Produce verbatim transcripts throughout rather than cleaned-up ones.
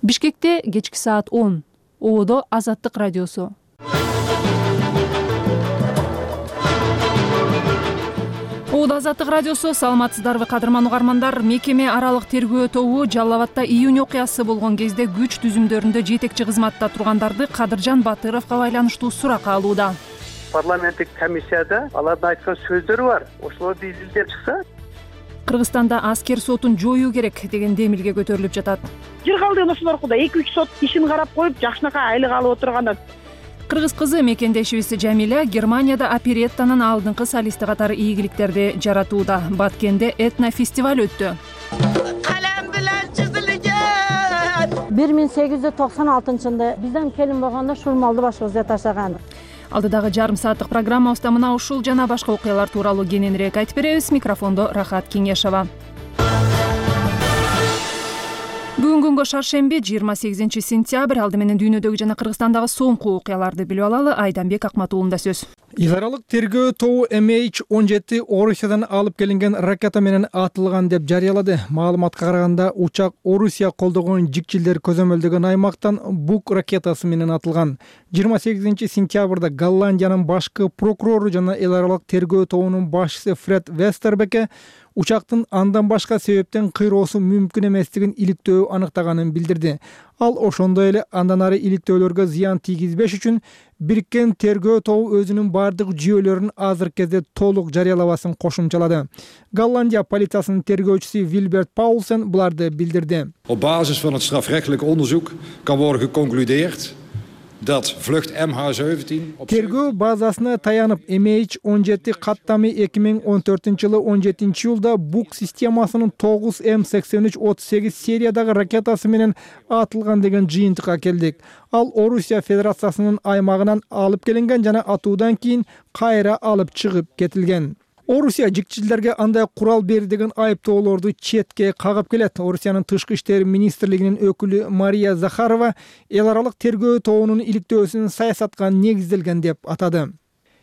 Бишкекте кечки саат он. Ободо Азаттык радиосу. Ободо Азаттык радиосу. Саламатсыздарбы кадырман угармандар? Мекеме аралык тергөө тобу Жалал Абадта июнь окуясы болгон кезде күч түзүмдөрүндө жетекчи кызматта тургандарды Кадыржан Батыровго байланыштуу сурак алууда. Парламенттик комиссияда алардын айткан сөздөрү бар. Ошолорду изилдеп чыкса, Кыргызстанда аскер сотун жоюу керек деген демилге көтөрүлүп жатат. Жер калдыгын ошолор кылды. эки үч сот ишин карап коюп, жакшынакай айлык алып отургандар. Кыргыз кызы мекендешибиз Жамиля Германияда опереттанын алдыңкы солисти катары ийгиликтерди жаратууда. Баткенде этно-фестиваль өттү. бир миң сегиз жүз токсон алтынчы жылда бизден келин болгондо Шурмалды башыбызга ташаган. Алдыдагы жарым сааттык программабызда мына ушул жана башка окуялар тууралуу кененирээк айтып беребиз. Микрофондо Рахат Кеңешова. Бүгүн күнгө шаршемби жыйырма сегизинчи сентябрь. Алды менен дүйнөдөгү жана Кыргызстандагы соңку окуяларды билип алалы. Айданбек Акматуулунда сөз. Эл аралык тергөө тобу эм эйч он жети Орусиядан алып келинген ракета менен атылган деп жарыялады. Маалыматка караганда учак Орусия колдогон жикчилдер көзөмөлдөгөн аймактан Бук ракетасы менен атылган. жыйырма сегизинчи сентябрда Голландиянын башкы прокурору жана эл аралык тергөө тобунун башчысы Фред Вестербеке учактын андан башка себептен кыйроосу мүмкүн эместигин иликтөө аныктаганын билдирди. Ал ошондой эле андан ары иликтөөлөргө зыян тийгизбеш үчүн бириккен тергөө тобу өзүнүн бардык жүйөлөрүн азыркы кезде толук жарыялабасын кошумчалады. Голландия полициясынын тергөөчүсү Вильберт Paulsen буларды билдирди. Op basis van het strafrechtelijk onderzoek kan worden geconcludeerd dat vlucht эм эйч севентин тергөө базасына таянып эм эйч он жети каттами эки миң он төртүнчү жылы он жетинчи июлда Бук системасынын тогуз эм сексен үч отуз сегиз сериядагы ракетасы менен атылган деген жыйынтыкка келдик. Ал Орусия Федерациясынын аймагынан алып келинген жана атуудан кийин кайра алып чыгып кетилген. Орусия жикчилдерге андай курал берди деген айыптоолорду четке кагып келет. Орусиянын тышкы иштер министрлигинин өкүлү Мария Захарова эл аралык тергөө тобунун иликтөөсүн саясатка негизделген деп атады.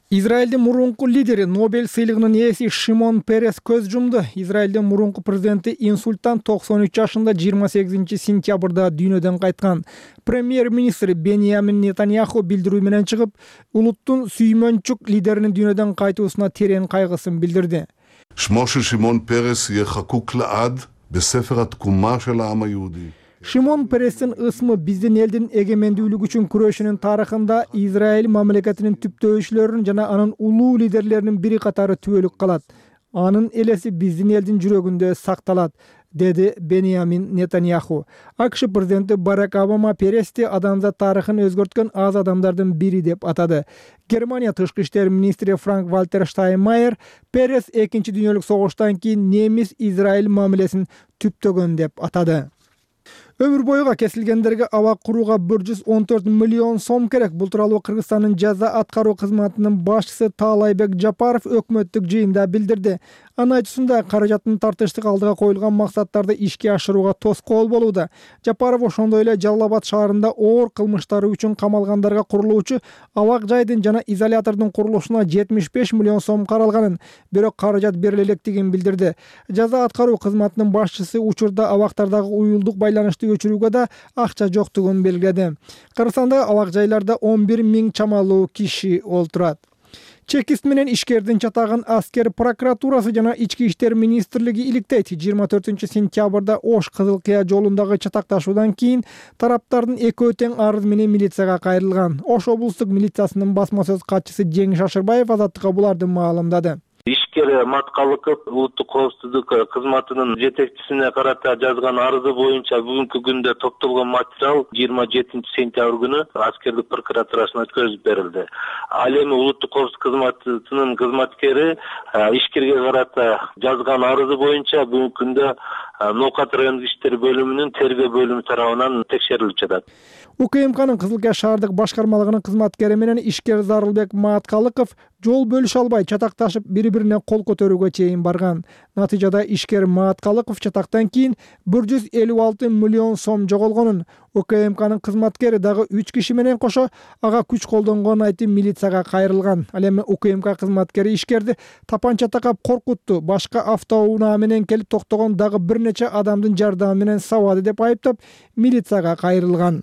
Израилдин мурунку лидери Нобель сыйлыгынын ээси Шимон Перес көз жумду. Израилдин мурунку президенти инсульттан токсон үч жашында жыйырма сегизинчи сентябрда дүйнөдөн кайткан. Премьер-министр Беньямин Нетаньяху билдирүү менен чыгып, улуттун сүймөнчүк лидеринин дүйнөдөн кайтуусуна терең кайгысын билдирди. שמו של שמעון פרס יהיה חקוק לעד בספר התקומה של העם היהודי. Шимон Перестин ысмы биздин элдин эгемендүүлүгү үчүн күрөшүнүн тарыхында Израиль мамлекетинин түптөөчүлөрүнүн жана анын улуу лидерлеринин бири катары түбөлүк калат. Анын элеси биздин элдин жүрөгүндө сакталат, деди Беньямин Нетаньяху. АКШ президенти Барак Обама Перести адамзат тарыхын өзгөрткөн аз адамдардын бири деп атады. Германия тышкы иштер министри Франк Вальтер Штайнмайер Перес экинчи дүйнөлүк согуштан кийин немис Израиль мамилесин түптөгөн деп атады. Өмүр бойуга кесилгендерге абак курууга бир жүз он төрт миллион сом керек. Бул тууралуу Кыргызстандын жаза аткаруу кызматынын башчысы Таалайбек Жапаров өкмөттүк жыйында билдирди. Анын айтуусунда каражаттын тартыштык алдыга коюлган максаттарды ишке ашырууга тоскоол болууда. Жапаров ошондой эле Жалал Абад шаарында оор кылмыштары үчүн камалгандарга курулуучу абак жайдын жана изолятордун курулушуна жетимиш беш миллион сом каралганын, бирок каражат бериле электигин билдирди. Жаза аткаруу кызматынын башчысы учурда абактардагы уюлдук байланышты өчүрүүгө да акча жоктугун белгиледи. Кыргызстанда абак жайларда он бир миң чамалуу киши олтурат. Чекист менен ишкердин чатагын аскер прокуратурасы жана ички иштер министрлиги иликтейт. жыйырма төртүнчү сентябрда Ош Кызыл Кыя жолундагы чатакташуудан кийин тараптардын экөө тең арыз менен милицияга кайрылган. Ош облустук милициясынын басма сөз катчысы Жеңиш Ашырбаев Азаттыкка буларды маалымдады. Ишкер Маткалыков улуттук коопсуздук кызматынын жетекчисине карата жазган арызы боюнча бүгүнкү күндө топтолгон материал жыйырма жетинчи сентябрь күнү аскердик прокуратурасына өткөзүп берилди. Ал эми улуттук коопсуздук кызматынын кызматкери ишкерге карата жазган арызы боюнча бүгүнкү күндө Ноокат райондук иштер бөлүмүнүн тергөө бөлүмү тарабынан текшерилип жатат. УКМКнын Кызыл Кыя шаардык башкармалыгынын кызматкери менен ишкер Зарылбек Маткалыков жол бөлүшө албай чатакташып бири бирине кол көтөрүүгө чейин барган. Натыйжада ишкер Мааткалыков чатактан кийин бир жүз элүү алты миллион сом жоголгонун, УКМКнын кызматкери дагы үч киши менен кошо ага күч колдонгонун айтып милицияга кайрылган. Ал эми УКМК кызматкери ишкерди тапанча такап коркутту, башка автоунаа менен келип токтогон дагы бир нече адамдын жардамы менен сабады деп айыптап милицияга кайрылган.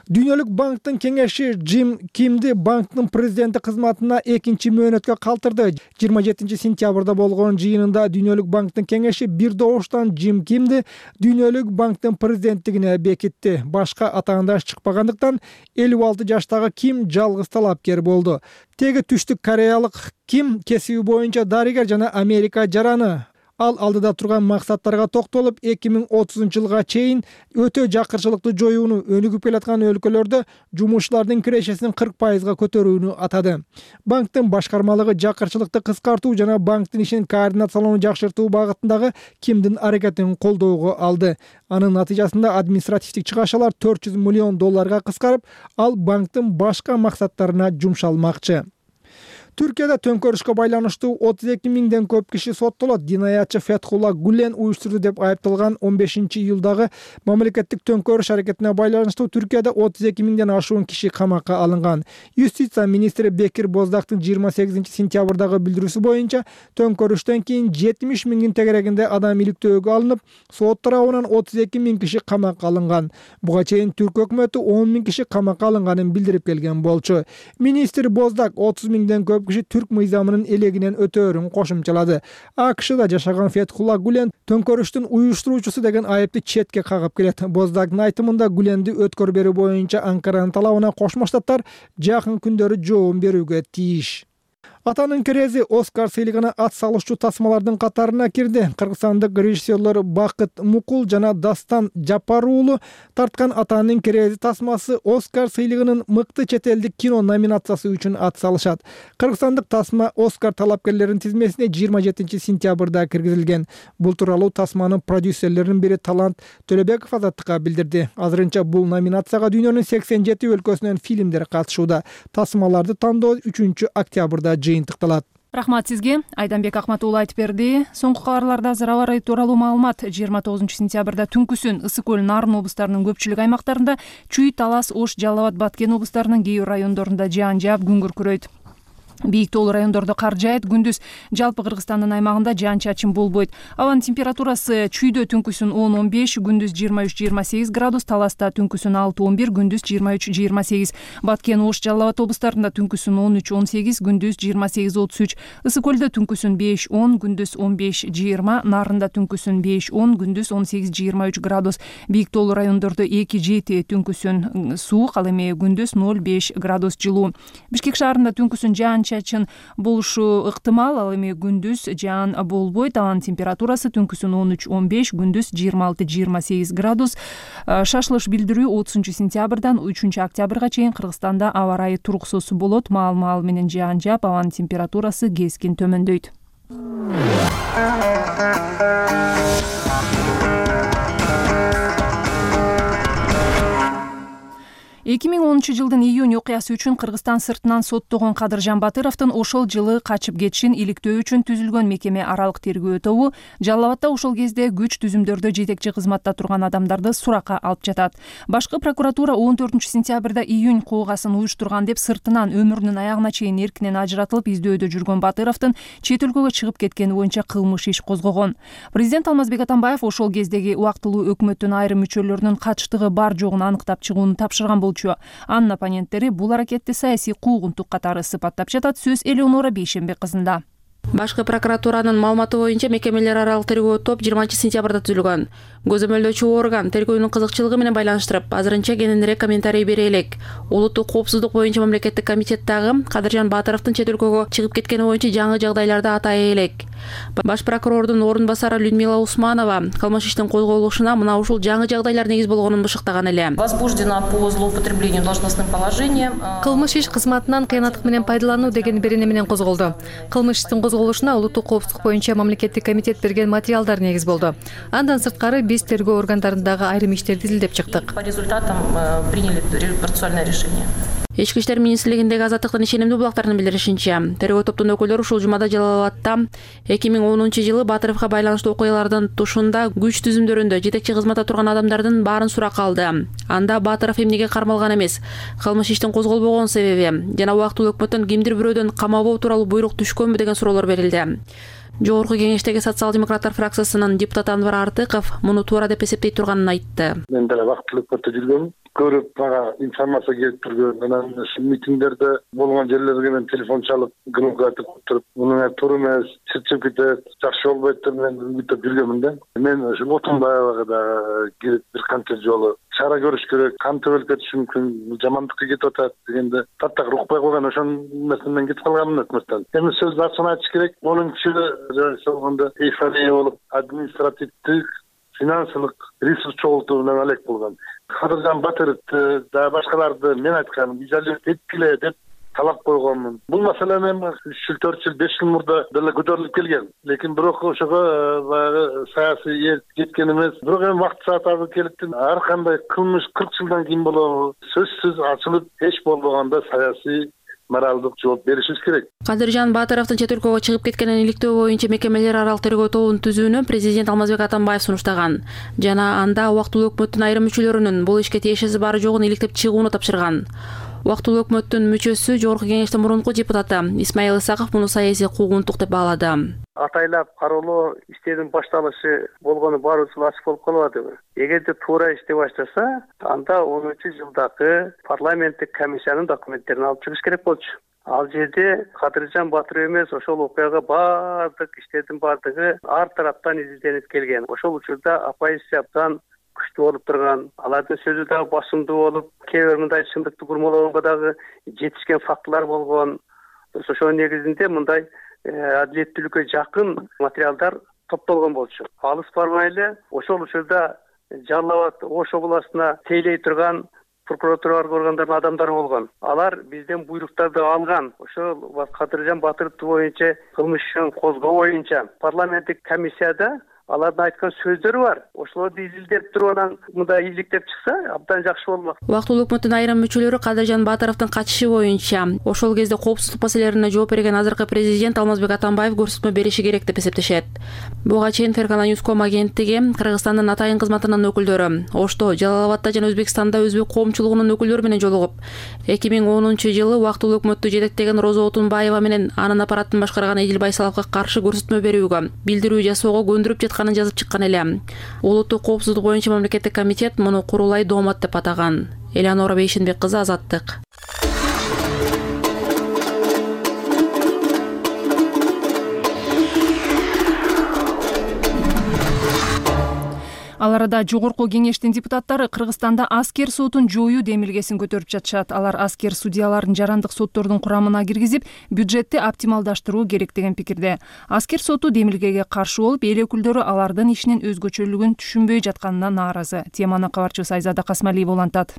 Дүйнөлүк банктын кеңеши Джим Кимди банктын президенти кызматына экинчи мөөнөткө калтырды. жыйырма жетинчи сентябрда болгон жыйынында Дүйнөлүк банктын кеңеши бир добуштан Джим Кимди Дүйнөлүк банктын президенттигине бекитти. Башка атаандаш чыкпагандыктан элүү алты жаштагы Ким жалгыз талапкер болду. Теги түштүк кореялык Ким кесиби боюнча дарыгер жана Америка жараны. Ал алдыда турган максаттарга токтолуп, эки миң отузунчу жылга чейин өтө жакырчылыкты жоюуну, өнүгүп келаткан өлкөлөрдө жумушчулардын кирешесин кырк пайызга көтөрүүнү атады. Банктын башкармалыгы жакырчылыкты кыскартуу жана банктын ишин координациялоону жакшыртуу багытындагы Кимдин аракетин колдоого алды. Анын натыйжасында административдик чыгашалар төрт жүз миллион долларга кыскарып, ал банктын башка максаттарына жумшалмакчы. Түркияда төңкөрүшкө байланыштуу отуз эки миңден көп киши соттолот. Динаятчы Фетхулла Гулен уюштурду деп айыпталган он бешинчи июлдагы мамлекеттик төңкөрүш аракетине байланыштуу Түркияда отуз эки миңден ашуун киши камакка алынган. Юстиция министри Бекир Боздактын жыйырма сегизинчи сентябрдагы билдирүүсү боюнча төңкөрүштөн кийин жетимиш миңдин тегерегинде адам иликтөөгө алынып, сот тарабынан отуз эки миң киши камакка алынган. Буга чейин Түрк өкмөтү он миң киши камакка алынганын билдирип келген болчу. Министр Боздак отуз миңден көп киши түрк мыйзамынын элегинен өтөөрүн кошумчалады. АКШда жашаган Фетхулла Гулен төңкөрүштүн уюштуруучусу деген айыпты четке кагып келет. Боздактын айтымында Гуленди өткөрүп берүү боюнча Анкаранын талабына Кошмо Штаттар жакын күндөрү жооп берүүгө тийиш. Атанын керези Оскар сыйлыгына ат салышчу тасмалардын катарына кирди. Кыргызстандык режиссерлор Бакыт Мукул жана Дастан Жапар уулу тарткан Атанын керези тасмасы Оскар сыйлыгынын мыкты чет элдик кино номинациясы үчүн ат салышат. Кыргызстандык тасма Оскар талапкерлеринин тизмесине жыйырма жетинчи сентябрда киргизилген. Бул тууралуу тасманын продюсерлеринин бири Талант Төлөбеков Азаттыкка билдирди. Азырынча бул номинацияга дүйнөнүн сексен жети өлкөсүнөн фильмдер катышууда. Тасмаларды тандоо үчүнчү октябрда жыйынтыкталат. Рахмат сизге. Айданбек Акматуулу айтып берди. Соңку кабарларда азыр аба ырайы тууралуу маалымат. жыйырма тогузунчу сентябрда түнкүсүн Ысык көл, Нарын облустарынын көпчүлүк аймактарында, Чүй, Талас, Ош, Жалал Абад, Баткен облустарынын кээ бир райондорунда жаан жаап, күн күркүрөйт. Бийик тоолуу райондордо кар жаайт. Күндүз жалпы Кыргызстандын аймагында жаан-чачын болбойт. Абанын температурасы Чүйдө түнкүсүн он он беш, күндүз жыйырма үч жыйырма сегиз градус, Таласта түнкүсүн алты он бир, күндүз жыйырма үч жыйырма сегиз. Баткен, Ош, Жалал Абад облустарында түнкүсүн он үч он сегиз, күндүз жыйырма сегиз отуз үч. Ысык көлдө түнкүсүн беш он, күндүз он беш жыйырма, Нарында түнкүсүн беш он, күндүз он сегиз жыйырма үч градус. Бийик тоолуу райондордо эки жети, түнкүсүн суук, ал эми күндүз ноль беш градус жылуу. Бишкек шаарында түнкүсүн жаан-чачын болушу ыктымал, ал эми күндүз жаан болбойт. Абанын температурасы түнкүсүн он үч он беш, күндүз жыйырма алты жыйырма сегиз градус. Шашылыш билдирүү отузунчу сентябрдан үчүнчү октябрга чейин Кыргызстанда аба ырайы туруксуз болот. Маал-маал менен жаан жаап, абанын температурасы кескин төмөндөйт. эки миң онунчу жылдын июнь окуясы үчүн Кыргызстан сыртынан соттогон Кадыржан Батыровдун ошол жылы качып кетишин иликтөө үчүн түзүлгөн мекеме аралык тергөө тобу Жалал Абадда ошол кезде күч түзүмдөрдө жетекчи кызматта турган адамдарды суракка алып жатат. Башкы прокуратура он төртүнчү сентябрда июнь куугасын уюштурган деп сыртынан өмүрүнүн аягына чейин эркинен ажыратылып издөөдө жүргөн Батыровдун чет өлкөгө чыгып кеткени боюнча кылмыш иш козгогон. Президент Алмазбек Атамбаев ошол кездеги убактылуу өкмөттүн айрым мүчөлөрүнүн катыштыгы бар жогун аныктап чыгууну тапшырган болчу. Анын оппоненттери бул аракетти саясий куугунтук катары сыпаттап жатат. Сөз Элеонора Бейшенбек кызында. Башкы прокуратуранын маалыматы боюнча мекемелер аралык тергөө топ жыйырманчы сентябрда түзүлгөн. Көзөмөлдөөчү орган тергөөнүн кызыкчылыгы менен байланыштырып, азырынча кененирээк комментарий бере элек. Улуттук коопсуздук боюнча мамлекеттик комитеттагы Кадыржан Батыровдун чет өлкөгө чыгып кеткени боюнча жаңы жагдайларды атай элек. Баш прокурордун орун басары Людмила Усманова кылмыш иштин козголушуна мына ушул жаңы жагдайлар негиз болгонун бышыктаган эле. Возбуждена по злоупотреблению должностным положением. Кылмыш иш кызматынан кыянаттык менен пайдалануу деген берене менен козголду. Кылмыш иштин козголушуна улуттук коопсуздук боюнча мамлекеттик комитет берген материалдар негиз болду. Андан сырткары биз тергөө органдарындагы айрым иштерди изилдеп чыктык. По результатам приняли процессуальное решение. Ички иштер министрлигиндеги Азаттыктын ишенимдүү булактарынын билдиришинче, тергөө топтун өкүлдөрү ушул жумада Жалал абадта эки миң онунчу жылы Батыровго байланыштуу окуялардын тушунда күч түзүмдөрүндө жетекчи кызматта турган адамдардын баарын суракка алды. Анда Батыров эмнеге кармалган эмес, кылмыш иштин козголбогон себеби жана убактылуу өкмөттөн кимдир бирөөдөн камабоо тууралуу буйрук түшкөнбү деген суроолор берилди. Жогорку кеңештеги социал-демократтар фракциясынын депутаты Анвар Артыков муну туура деп эсептей турганын айтты. Мен деле убактылуу өкмөттө жүргөм. Көрүп мага информация келип турган, анан митингдерде болгон жерлерге мен телефон чалып, громко айтып туруп, муну туура эмес, чырчып кетет, жакшы болбойт деп мен үмүттөп жүргөмүн да. Мен ошол Отунбаевага дагы келип бир канча жолу чара көрүш керек, кантип өлүп кетиши мүмкүн, жамандыкка кетип атат дегенде таттак укпай койгон, ошон эмесинен мен кетип калганмын өкмөттөн. Эми сөздү ачык айтыш керек, болуң киши болгондо эйфория болуп, административдик, финансылык ресурс чогултуу менен алек болгон. Кадыржан Батыровду да башкаларды мен айтканым, изолировать эткиле деп талап койгонмун. Бул маселе мен үч жыл, төрт жыл, беш жыл мурда деле көтөрүлүп келген. Лекин бирок ошого баягы саясий эл жеткен эмес. Бирок эми вакыт саат азыр келипти. Ар кандай кылмыш кырк жылдан кийин болобу, сөзсүз ачылып эч болбогондо саясий моралдык жооп беришибиз керек. Кадыржан Батыровдун чет өлкөгө чыгып кеткенин иликтөө боюнча мекемелер аралык тергөө тобун түзүүнү президент Алмазбек Атамбаев сунуштаган жана анда убактылуу өкмөттүн айрым мүчөлөрүнүн бул ишке тиешеси бары жогун иликтеп чыгууну тапшырган. Убактылуу өкмөттүн мүчөсү Жогорку кеңештин мурунку депутаты Исмаил Исаков муну саясий куугунтук деп баалады. Атайлап кароолоо иштердин башталышы болгону баарыбыз ачык болуп калып атабы. Эгерде туура иштей баштаса, анда онунчу жылдагы парламенттик комиссиянын документтерин алып чыгыш керек болчу. Ал жерде Кадыржан Батыров эмес, ошол окуяга баардык иштердин баардыгы ар тараптан изилденип келген. Ошол учурда оппозиция абдан күчтүү болуп турган, алардын сөзү дагы басымдуу болуп, кээ бир мындай чындыкты бурмалоого дагы жетишкен фактылар болгон. Ошонун негизинде мындай адилеттүүлүккө жакын материалдар топтолгон болчу. Алыс бармай эле ошол учурда Жалал абад Ош областына тейлей турган прокуратура органдарынын адамдары болгон. Алар бизден буйруктарды алган. Ошол Кадыржан Батыров боюнча кылмыш ишин козгоо боюнча парламенттик комиссияда алардын айткан сөздөрү бар. Ошолорду изилдеп туруп анан мындай иликтеп чыкса, абдан жакшы болмок. Убактылуу өкмөттүн айрым мүчөлөрү Кадыржан Батыровдун качышы боюнча ошол кезде коопсуздук маселелерине жооп берген азыркы президент Алмазбек Атамбаев көрсөтмө бериши керек деп эсептешет. Буга чейин Феркана Ньюском агенттиги Кыргызстандын атайын кызматынын өкүлдөрү Ошто, Жалал абадта жана Өзбекстанда өзбек коомчулугунун өкүлдөрү менен жолугуп, эки миң онунчу жылы убактылуу өкмөттү жетектеген Роза Отунбаева менен анын аппаратын башкарган Эдил Байсаловго каршы көрсөтмө берүүгө, билдирүү жасоого көндүрүп жатканын жазып чыккан эле. Улуттук коопсуздук боюнча мамлекеттик комитет муну курулай доомат деп атаган. Элеонора Бейшенбек кызы, Азаттык. Ал арада жогорку кеңештин депутаттары Кыргызстанда аскер сотун жоюу демилгесин көтөрүп жатышат. Алар аскер судьяларын жарандык соттордун курамына киргизип, бюджетти оптималдаштыруу керек деген пикирде. Аскер соту демилгеге каршы болуп, эл өкүлдөрү алардын ишинин өзгөчөлүгүн түшүнбөй жатканына нааразы. Теманы кабарчыбыз Айзада Касмалиева улантат.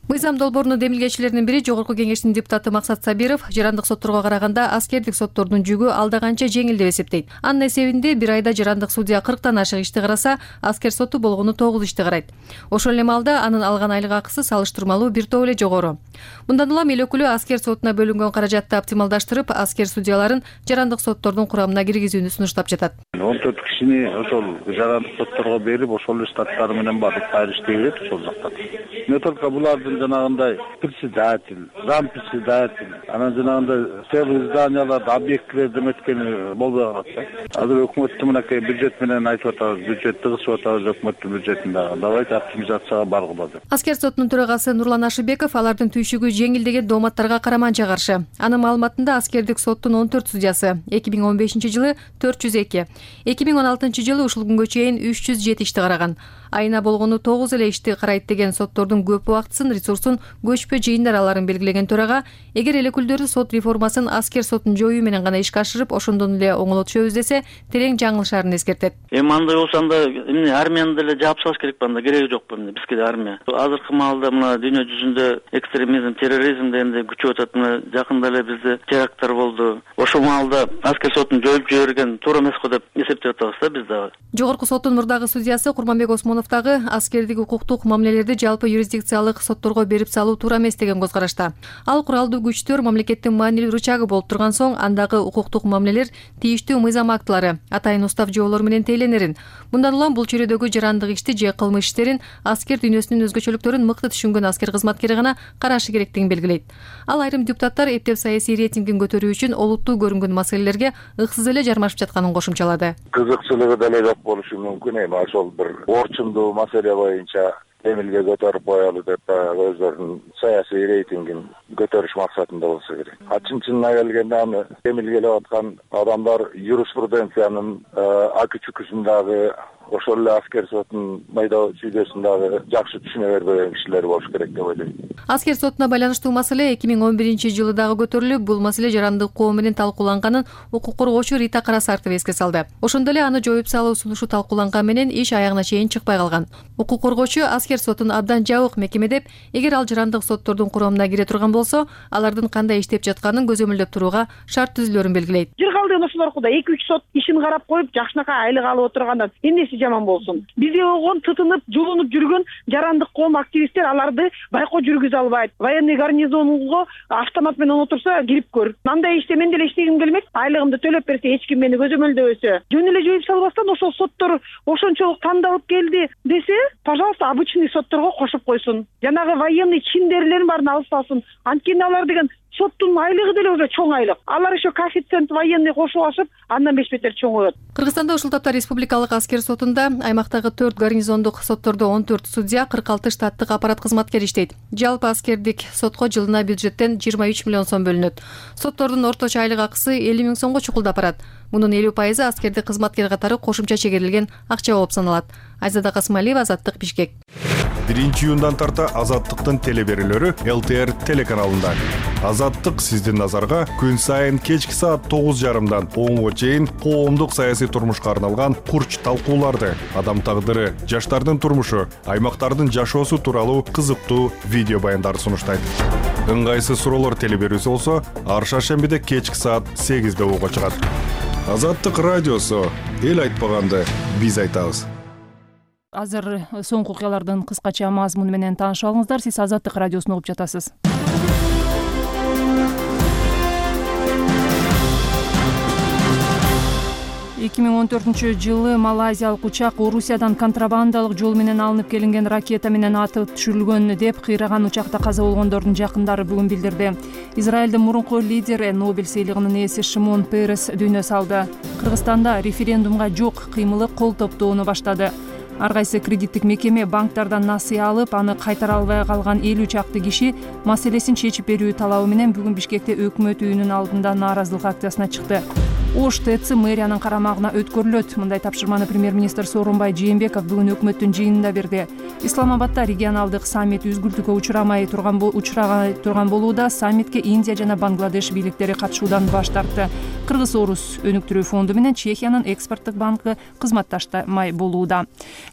Мыйзам долбоорунун демилгечилеринин бири Жогорку кеңештин депутаты Максат Сабиров жарандык сотторго караганда аскердик соттордун жүгү алда канча жеңил деп эсептейт. Анын эсебинде бир айда жарандык судья кырктан ашык ишти караса, аскер соту болгону тогуз ишти карайт. Ошол эле маалда анын алган айлык акысы салыштырмалуу бир топ эле жогору. Мындан улам эл өкүлү аскер сотуна бөлүнгөн каражатты оптималдаштырып, аскер судьяларын жарандык соттордун курамына киргизүүнү сунуштап жатат. он төрт кишини ошол жарандык сотторго берип, ошол эле штаттары менен барып кайра иштей берет ошол жакта. Не только булардын жанагындай председатель, зампредседатель, анан жанагындай целый зданияларды, объектилерди эметкени болбой калат да. Азыр өкмөттүн мынакей бюджет менен айтып атабыз, бюджет тыгызып атабыз өкмөттүн бюджетин дагы. Давайте оптимизацияга баргыла деп. Аскер сотунун төрагасы Нурлан Ашыбеков алардын түйшүгү жеңил деген дооматтарга караманча каршы. Анын маалыматында аскердик соттун он төрт судьясы эки миң он бешинчи жылы төрт жүз эки, эки миң он алтынчы жылы ушул күнгө чейин үч жүз жети ишти караган. Айына болгону тогуз эле ишти карайт деген соттордун көп убактысын, ресурсун көчпө жыйындар аларын белгилеген төрага, эгер эл өкүлдөрү сот реформасын аскер сотун жоюу менен гана ишке ашырып, ошондон эле оңолотушөбүз десе, терең жаңылышарын эскертет. Эми андай болсо анда эмне армияны деле жаап салыш керек, анда кереги жок эмне бизге да армия. Азыркы маалда мына дүйнө жүзүндө экстремизм, терроризм дегенде күчөп атат. Мына жакында эле бизде теракттар болду. Ошол маалда аскер сотун жоюп жиберген туура эмес го деп эсептеп атабыз да биз дагы. Жогорку соттун мурдагы судьясы Курманбек Осмонов Абдрахманов дагы аскердик укуктук мамилелерди жалпы юрисдикциялык сотторго берип салуу туура эмес деген көз карашта. Ал куралдуу күчтөр мамлекеттин маанилүү рычагы болуп турган соң андагы укуктук мамилелер тийиштүү мыйзам актылары, атайын устав жоолор менен тейлениерин. Мындан улам бул чөйрөдөгү жарандык ишти же кылмыш иштерин аскер дүйнөсүнүн өзгөчөлүктөрүн мыкты түшүнгөн аскер кызматкери гана карашы керектигин белгилейт. Ал айрым депутаттар эптеп саясий рейтингин көтөрүү үчүн олуттуу көрүнгөн маселелерге ыксыз эле жармашып жатканын кошумчалады. Кызыкчылыгы деле жок болушу мүмкүн эми ошол бир орчундуу маселе боюнча эмилге көтөрүп коелу деп өздөрүнүн саясий рейтингин көтөрүш максатында болсо керек. Чын чынына келгенде аны эмилгелеп аткан адамдар юриспруденциянын акы чүкүсүндагы ошол эле аскер сотунун майда чүйдөсүн дагы жакшы түшүнө бербеген кишилер болуш керек деп ойлойм. Аскер сотуна байланыштуу маселе эки миң он биринчи жылы дагы көтөрүлүп, бул маселе жарандык коом менен талкууланганын укук коргоочу Рита Карасартова эске салды. Ошондо эле аны жоюп салуу сунушу талкууланган менен иш аягына чейин чыкпай калган. Укук коргоочу аскер сотун абдан жабык мекеме деп, эгер ал жарандык соттордун курамына кире турган болсо, алардын кандай иштеп жатканын көзөмөлдөп турууга шарт түзүлөрүн белгилейт. Жыргалдыгын ошолор куда эки үч сот ишин карап коюп, жакшынакай айлык алып отургандан эмнеси жаман болсун? Бизге болгон тытынып, жулунуп жүргөн жарандык коом активисттер аларды байкоо жүргүзө албайт. Военный гарнизонго автомат менен отурса, кирип көр. Мындай иште мен деле иштегим келмек. Айлыгымды төлөп берсе, эч ким мени көзөмөлдөбөсө, жөн эле жоюп салбастан ошол соттор ошончолук тандалып келди десе, пожалуйста, обычный сотторго кошуп койсун. Жанагы военный чиндерлерин баарын алып салсын. Анткени алар деген соттун айлыгы деле уже чоң айлык. Алар еще коэффициент военный кошуп алышып, андан беш бетер чоңоет. Кыргызстанда ушул тапта республикалык аскер сотунда аймактагы төрт гарнизондук соттордо он төрт судья, кырк алты штаттык аппарат кызматкери иштейт. Жалпы аскердик сотко жылына бюджеттен жыйырма үч миллион сом бөлүнөт. Соттордун орточо айлык акысы элүү миң сомго чукулдап барат. Мунун элүү пайызы аскердик кызматкер катары кошумча чегерилген акча болуп саналат. Айзада Касымалиева, Азаттык, Бишкек. Биринчи июндан тарта Азаттыктын телеберүүлөрү эл тэ эр телеканалында. Азаттык сиздин назарга күн сайын кечки саат тогуз жарымдан онго чейин коомдук саясий турмушка арналган курч талкууларды, адам тагдыры, жаштардын турмушу, аймактардын жашоосу тууралуу кызыктуу видео баяндарды сунуштайт. Ыңгайсыз суроолор телеберүүсү болсо, ар шаршембиде кечки саат сегизде ого чыгат. Азаттык радиосу, эл айтпаганды биз айтабыз. Азыр соңку окуялардын кыскача мазмуну менен таанышып алыңыздар. Сиз Азаттык радиосун угуп жатасыз. эки миң он төртүнчү жылы малайзиялык учак Орусиядан контрабандалык жол менен алынып келинген ракета менен атып түшүрүлгөн деп кыйраган учакта каза болгондордун жакындары бүгүн билдирди. Израилдин мурунку лидери, Нобель сыйлыгынын ээси Шимон Перес дүйнө салды. Кыргызстанда референдумга жок кыймылы кол топтоону баштады. Ар кайсы кредиттик мекеме банктардан насыя алып, аны кайтара албай калган элүү чакты киши маселесин чечип берүү талабы менен бүгүн Бишкекте өкмөт үйүнүн алдында нааразылык акциясына чыкты. Ош ТЭЦ мэриянын карамагына өткөрүлөт. Мындай тапшырманы премьер-министр Сооронбай Жээнбеков бүгүн өкмөттүн жыйынында берди. Исламабадда регионалдык саммит үзгүлтүккө учурамай турган учураган турган болууда. Саммитке Индия жана Бангладеш бийликтери катышуудан баш тартты. Кыргыз-Орус өнүктүрүү фонду менен Чехиянын экспорттук банкы кызматташтамай болууда.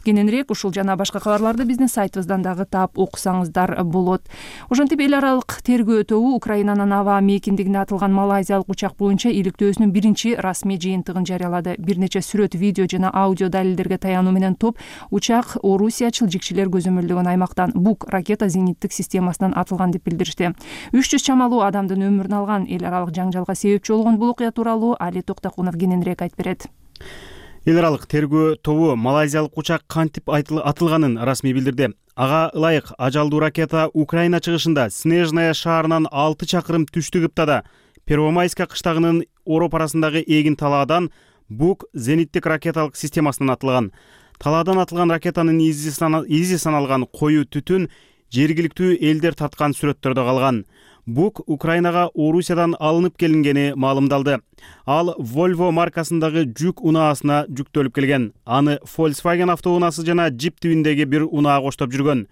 Кененирээк ушул жана башка кабарларды биздин сайтыбыздан дагы таап окусаңыздар болот. Ошентип эл аралык тергөө тобу Украинанын аба мейкиндигине атылган малайзиялык учак боюнча иликтөөсүнүн биринчи расмий жыйынтыгын жарыялады. Бир нече сүрөт, видео жана аудио далилдерге таянуу менен топ учак Орусиячыл жикчилер көзөмөлдөгөн аймактан Бук ракета зениттик системасынан атылган деп билдиришти. үч жүз чамалуу адамдын өмүрүн алган эл аралык жаңжалга себепчи болгон бул окуя тууралуу Али Токтокунов кененирээк айтып берет. Эл аралык тергөө тобу малайзиялык учак кантип атылганын расмий билдирди. Ага ылайык ажалдуу ракета Украина чыгышында Снежная шаарынан алты чакырым түштүгүптада Первомайска кыштагынын Ороп арасындагы эгин талаадан Бук зениттик ракеталык системасынан атылган. Талаадан атылган ракетанын изи саналган коюу түтүн жергиликтүү элдер тарткан сүрөттөрдө калган. Бук Украинага Орусиядан алынып келингени маалымдалды. Ал Volvo маркасындагы жүк унаасына жүктөлүп келген. Аны Volkswagen автоунаасы жана Jeep тибиндеги бир унаа коштоп жүргөн.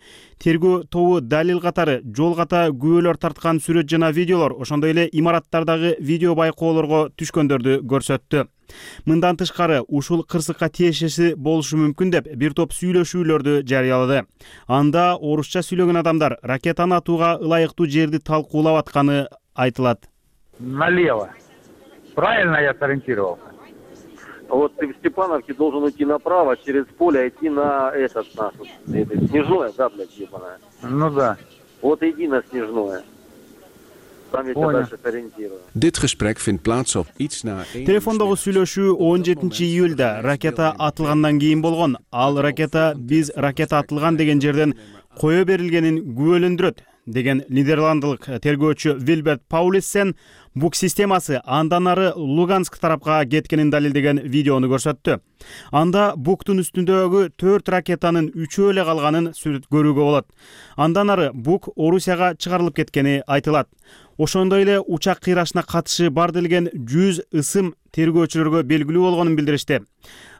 Тергөө тобу далил катары жол ката күбөлөр тарткан сүрөт жана видеолор, ошондой эле имараттардагы видео байкоолорго түшкөндөрдү көрсөттү. Мындан тышкары ушул кырсыкка тиешеси болушу мүмкүн деп бир топ сүйлөшүүлөрдү жарыялады. Анда орусча сүйлөгөн адамдар ракетаны атууга ылайыктуу жерди талкуулап атканы айтылат. Налево. Правильно я сориентировался. вот ты в Степановке должен уйти направо, через поле идти на этот, на Снежное, да, блядь, ебаное. Ну да. Вот иди на Снежное. Там я тебя дальше сориентирую. Dit gesprek vindt plaats op iets na Телефондогу сүйлөшүү он жетинчи июлда ракета атылгандан кийин болгон. Ал ракета биз ракета атылган деген жерден кое берилгенин күбөлөндүрөт деген нидерландылык тергөөчү Вилберт Паулиссен бук системасы андан ары Луганск тарапка кеткенин далилдеген видеону көрсөттү. Анда буктун үстүндөгү төрт ракетанын үчөө эле калганын көрүүгө болот. Андан ары бук Орусияга чыгарылып кеткени айтылат. Ошондой эле учак кыйрашына катышы бар делген жүз ысым тергөөчүлөргө белгилүү болгонун билдиришти.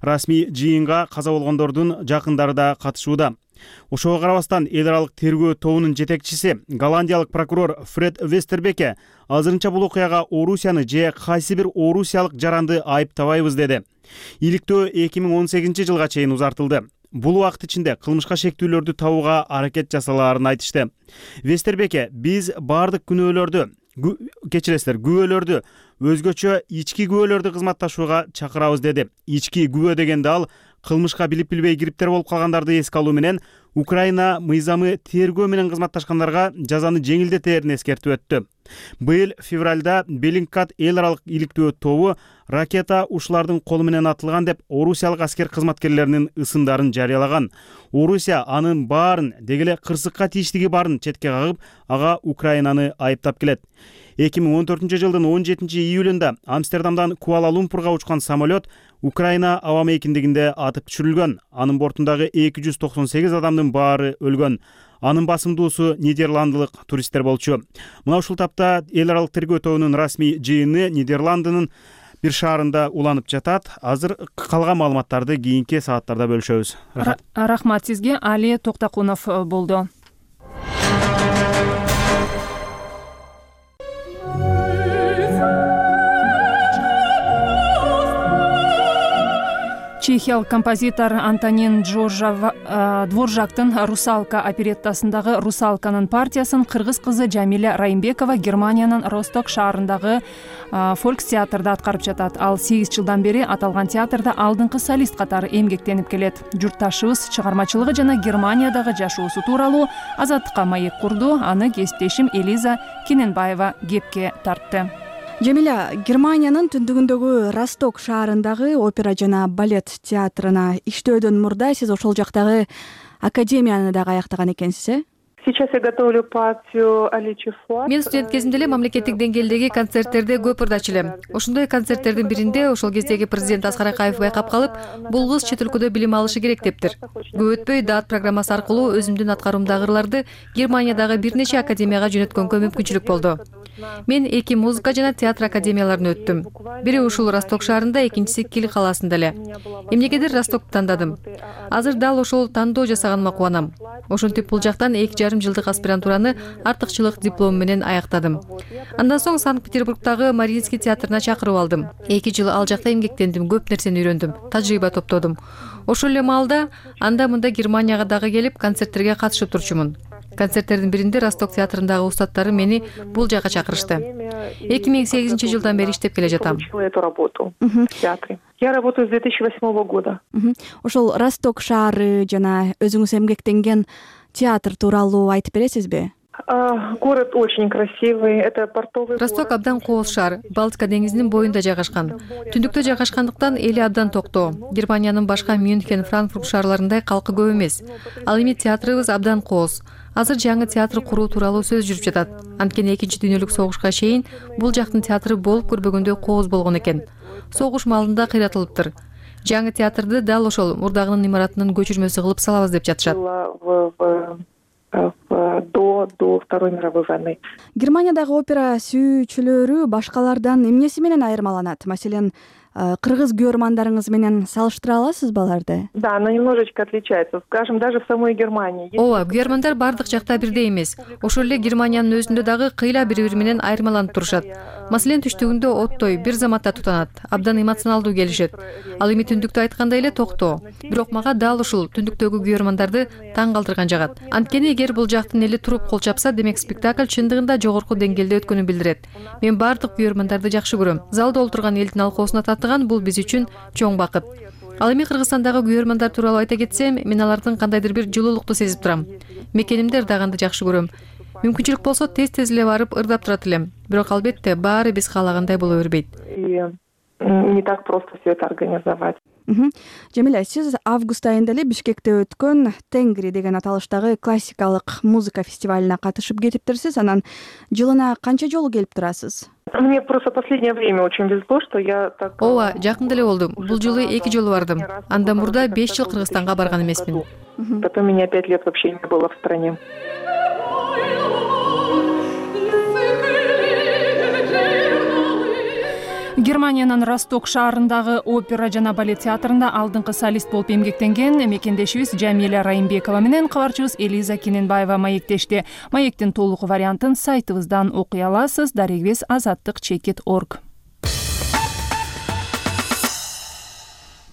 Расмий жыйынга каза болгондордун жакындары да катышууда. Ошого карабастан эл аралык тергөө тобунун жетекчиси голландиялык прокурор Фред Вестербеке азырынча бул окуяга Орусияны же кайсы бир орусиялык жаранды айыптабайбыз деди. Иликтөө эки миң он сегизинчи жылга чейин узартылды. Бул убакыт ичинде кылмышка шектүүлөрдү табууга аракет жасалаарын айтышты. Вестербеке биз бардык күнөөлөрдү, кечиресиздер, күбөлөрдү өзгөчө ички күбөлөрдү кызматташууга чакырабыз деди. Ички күбө дегенде ал кылмышка билип билбей кириптер болуп калгандарды эске алуу менен Украина мыйзамы тергөө менен кызматташкандарга жазаны жеңилдетерин эскертип өттү. Быйыл февралда Беллингкат эл аралык иликтөө тобу ракета ушулардын колу менен атылган деп орусиялык аскер кызматкерлеринин ысымдарын жарыялаган. Орусия анын баарын дегеле кырсыкка тийиштиги баарын четке кагып, ага Украинаны айыптап келет. эки миң он төртүнчү жылдын он жетинчи июлунда Амстердамдан Куала-Лумпурга учкан самолет Украина аба мейкиндигинде атып түшүрүлгөн. Анын бортундагы эки жүз токсон сегиз адамдын баары өлгөн. Анын басымдуусу нидерландылык туристтер болчу. Мына ушул тапта эл аралык тергөө тобунун расмий жыйыны Нидерландынын бир шаарында уланып жатат. Азыр калган маалыматтарды кийинки сааттарда бөлүшөбүз. Рахмат сизге. Али Токтакунов болду. Чехиялык композитор Антонин Дворжактын «Русалка» опереттасындагы «Русалканын» партиясын кыргыз кызы Жамиля Райымбекова Германиянын Росток шаарындагы фолкс театрда аткарып жатат. Ал сегиз жылдан бери аталган театрда алдыңкы солист катары эмгектенип келет. Журтташыбыз чыгармачылыгы жана Германиядагы жашоосу тууралуу Азаттыкка маек курду. Аны кесиптешим Элиза Кененбаева кепке тартты. Жамиля, Германиянын түндүгүндөгү Росток шаарындагы опера жана балет театрына иштөөдөн мурда сиз ошол жактагы академияны дагы аяктаган экенсиз, э? Сейчас я готовлю партию Аличи Фуат. Мен студент кезимде эле мамлекеттик деңгээлдеги концерттерде көп ырдачу элем. Ошондой концерттердин биринде ошол кездеги президент Аскар Акаев байкап калып, бул кыз чет өлкөдө билим алышы керек дептир. Көп өтпөй даат программасы аркылуу өзүмдүн аткарымдагы ырларды Германиядагы бир нече академияга жөнөткөнгө мүмкүнчүлүк болду. Мен эки музыка жана театр академияларын өттүм. Бири ушул Росток шаарында, экинчиси Кил калаасында эле. Эмнегедир Ростокду тандадым. Азыр дал ошол тандоо жасаганыма кубанам. Ошентип бул жактан эки жарым жылдык аспирантураны артыкчылык диплому менен аяктадым. Андан соң Санкт-Петербургдагы Мариинский театрына чакырып алдым. эки жыл ал жакта эмгектендим, көп нерсени үйрөндүм, тажрыйба топтодум. Ошол эле маалда анда мында Германияга дагы келип концерттерге катышып турчумун. Концерттердин биринде Росток театрындагы устаттары мени бул жака чакырышты. эки миң сегизинчи жылдан бери иштеп келе жатам. Я работаю с две тысячи восьмого года. Ошол Росток шаары жана өзүңүз эмгектенген театр тууралуу айтып бересизби? Город очень красивый, это портовый. Росток абдан кооз шаар, Балтика деңизинин боюнда жайгашкан. Түндүктө жайгашкандыктан эли абдан токтоо. Германиянын башка Мюнхен, Франкфурт шаарларындай калкы көп эмес. Ал эми театрыбыз абдан кооз. Азыр жаңы театр куруу тууралуу сөз жүрүп жатат. Анткени экинчи дүйнөлүк согушка чейин бул жактын театры болуп көрбөгөндөй кооз болгон экен. Согуш маалында кыйратылыптыр. Жаңы театрды дал ошол мурдагынын имаратынын көчүрмөсү кылып салабыз деп жатышат. До, до Второй мировой войны. Германиядагы опера сүйүүчүлөрү башкалардан эмнеси менен айырмаланат? Маселен, кыргыз көрөрмандарыңыз менен салыштыра аласызбы аларды? Да, она немножечко отличается. Скажем, даже в самой Германии. Ооба, көрөрмандар бардык жакта бирдей эмес. Ошол эле Германиянын өзүндө дагы кыйла бири-бири менен айырмаланып турушат. Маселен түштүгүндө оттой бир заматта тутанат, абдан эмоционалдуу келишет. Ал эми түндүктө айткандай эле токтоо. Бирок мага дал ушул түндүктөгү күйөрмандарды таң калтырган жагат. Анткени эгер бул жактын эли туруп кол чапса, демек спектакль чындыгында жогорку деңгээлде өткөнүн билдирет. Мен бардык күйөрмандарды жакшы көрөм. Залда олтурган элдин алкоосуна татыган бул биз үчүн чоң бакыт. Ал эми Кыргызстандагы күйөрмандар тууралуу айта кетсем, мен алардын кандайдыр бир жылуулукту сезип турам. Мекенимде ырдаганды жакшы көрөм. Мүмкүнчүлүк болсо тез-тез эле барып ырдап турат элем. Бирок албетте баары биз каалагандай боло бербейт. И не так просто все это организовать. Жамиля, сиз август айында эле Бишкекте өткөн Тенгри деген аталыштагы классикалык музыка фестивалине катышып кетиптирсиз. Анан жылына канча жолу келип турасыз? Мне просто последнее время очень везло, что я так... Ооба, жакында эле болду. Бул жылы эки жолу бардым. Андан мурда беш жыл Кыргызстанга барган эмесмин. Потом меня пять лет вообще не было в стране. Германиянын Росток шаарындагы опера жана балет театрында алдыңкы солист болуп эмгектенген мекендешибиз Жамиля Райымбекова менен кабарчыбыз Элиза Кененбаева маектешти. Маектин толук вариантын сайтыбыздан окуй аласыз. Дарегибиз азаттык чекит точка орг.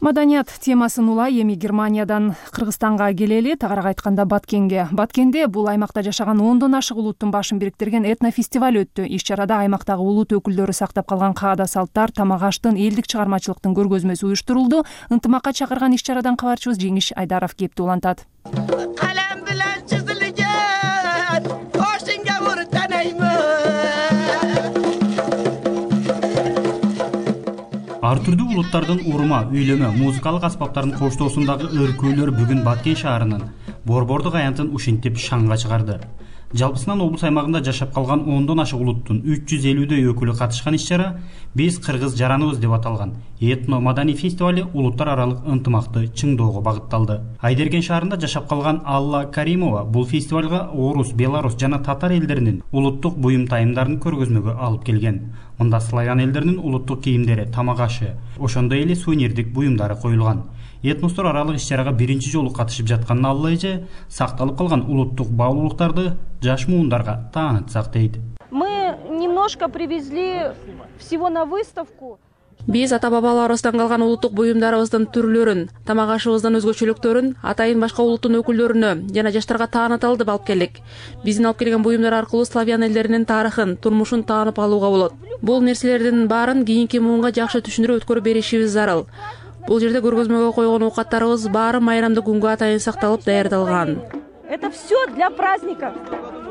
Маданият темасын улай эми Германиядан Кыргызстанга келели, тагыраак айтканда Баткенге. Баткенде бул аймакта жашаган ондон ашык улуттун башын бириктирген этнофестиваль өттү. Иш чарада аймактагы улут өкүлдөрү сактап калган каада салттар, тамак-аштын, элдик чыгармачылыктын көргөзмөсү уюштурулду. Ынтымакка чакырган иш чарадан кабарчыбыз Жеңиш Айдаров кепти улантат. Калем билен чизилген, ошинге уртанаймын. Ар түрдүү улуттардын урма, үйлөмө, музыкалык аспаптардын коштоосундагы өркөөлөр бүгүн Баткен шаарынын борбордук аянтын ушинтип шаңга чыгарды. Жалпысынан облус аймагында жашап калган ондон ашык улуттун үч жүз элүүдөй өкүлү катышкан иш-чара «Биз кыргыз жараныбыз» деп аталган этно маданий фестивали улуттар аралык ынтымакты чыңдоого багытталды. Айдерген шаарында жашап калган Алла Каримова бул фестивалга орус, белорус жана татар элдеринин улуттук буюм тайымдарын көргөзмөгө алып келген. Мында славян элдеринин улуттук кийимдери, тамак-ашы, ошондой эле сувенирдик буюмдары коюлган. Этностор аралык иш-чарага биринчи жолу катышып жаткан Алла эже сакталып калган улуттук баалуулуктарды жаш муундарга таанытсак дейт. Мы немножко привезли всего на выставку. Биз ата-бабаларыбыздан калган улуттук буюмдарыбыздын түрлөрүн, тамак-ашыбыздын өзгөчөлүктөрүн атайын башка улуттун өкүлдөрүнө жана жаштарга тааныталды алып келдик. Биздин алып келген буюмдар аркылуу славян элдеринин тарыхын, турмушун таанып алууга болот. Бул нерселердин баарын кийинки муунга жакшы түшүндүрүп өткөрүп беришибиз зарыл. Бул жерде көргөзмөгө койгон оокаттарыбыз баары майрамдык күнгө атайын сакталып даярдалган. Это все для праздников.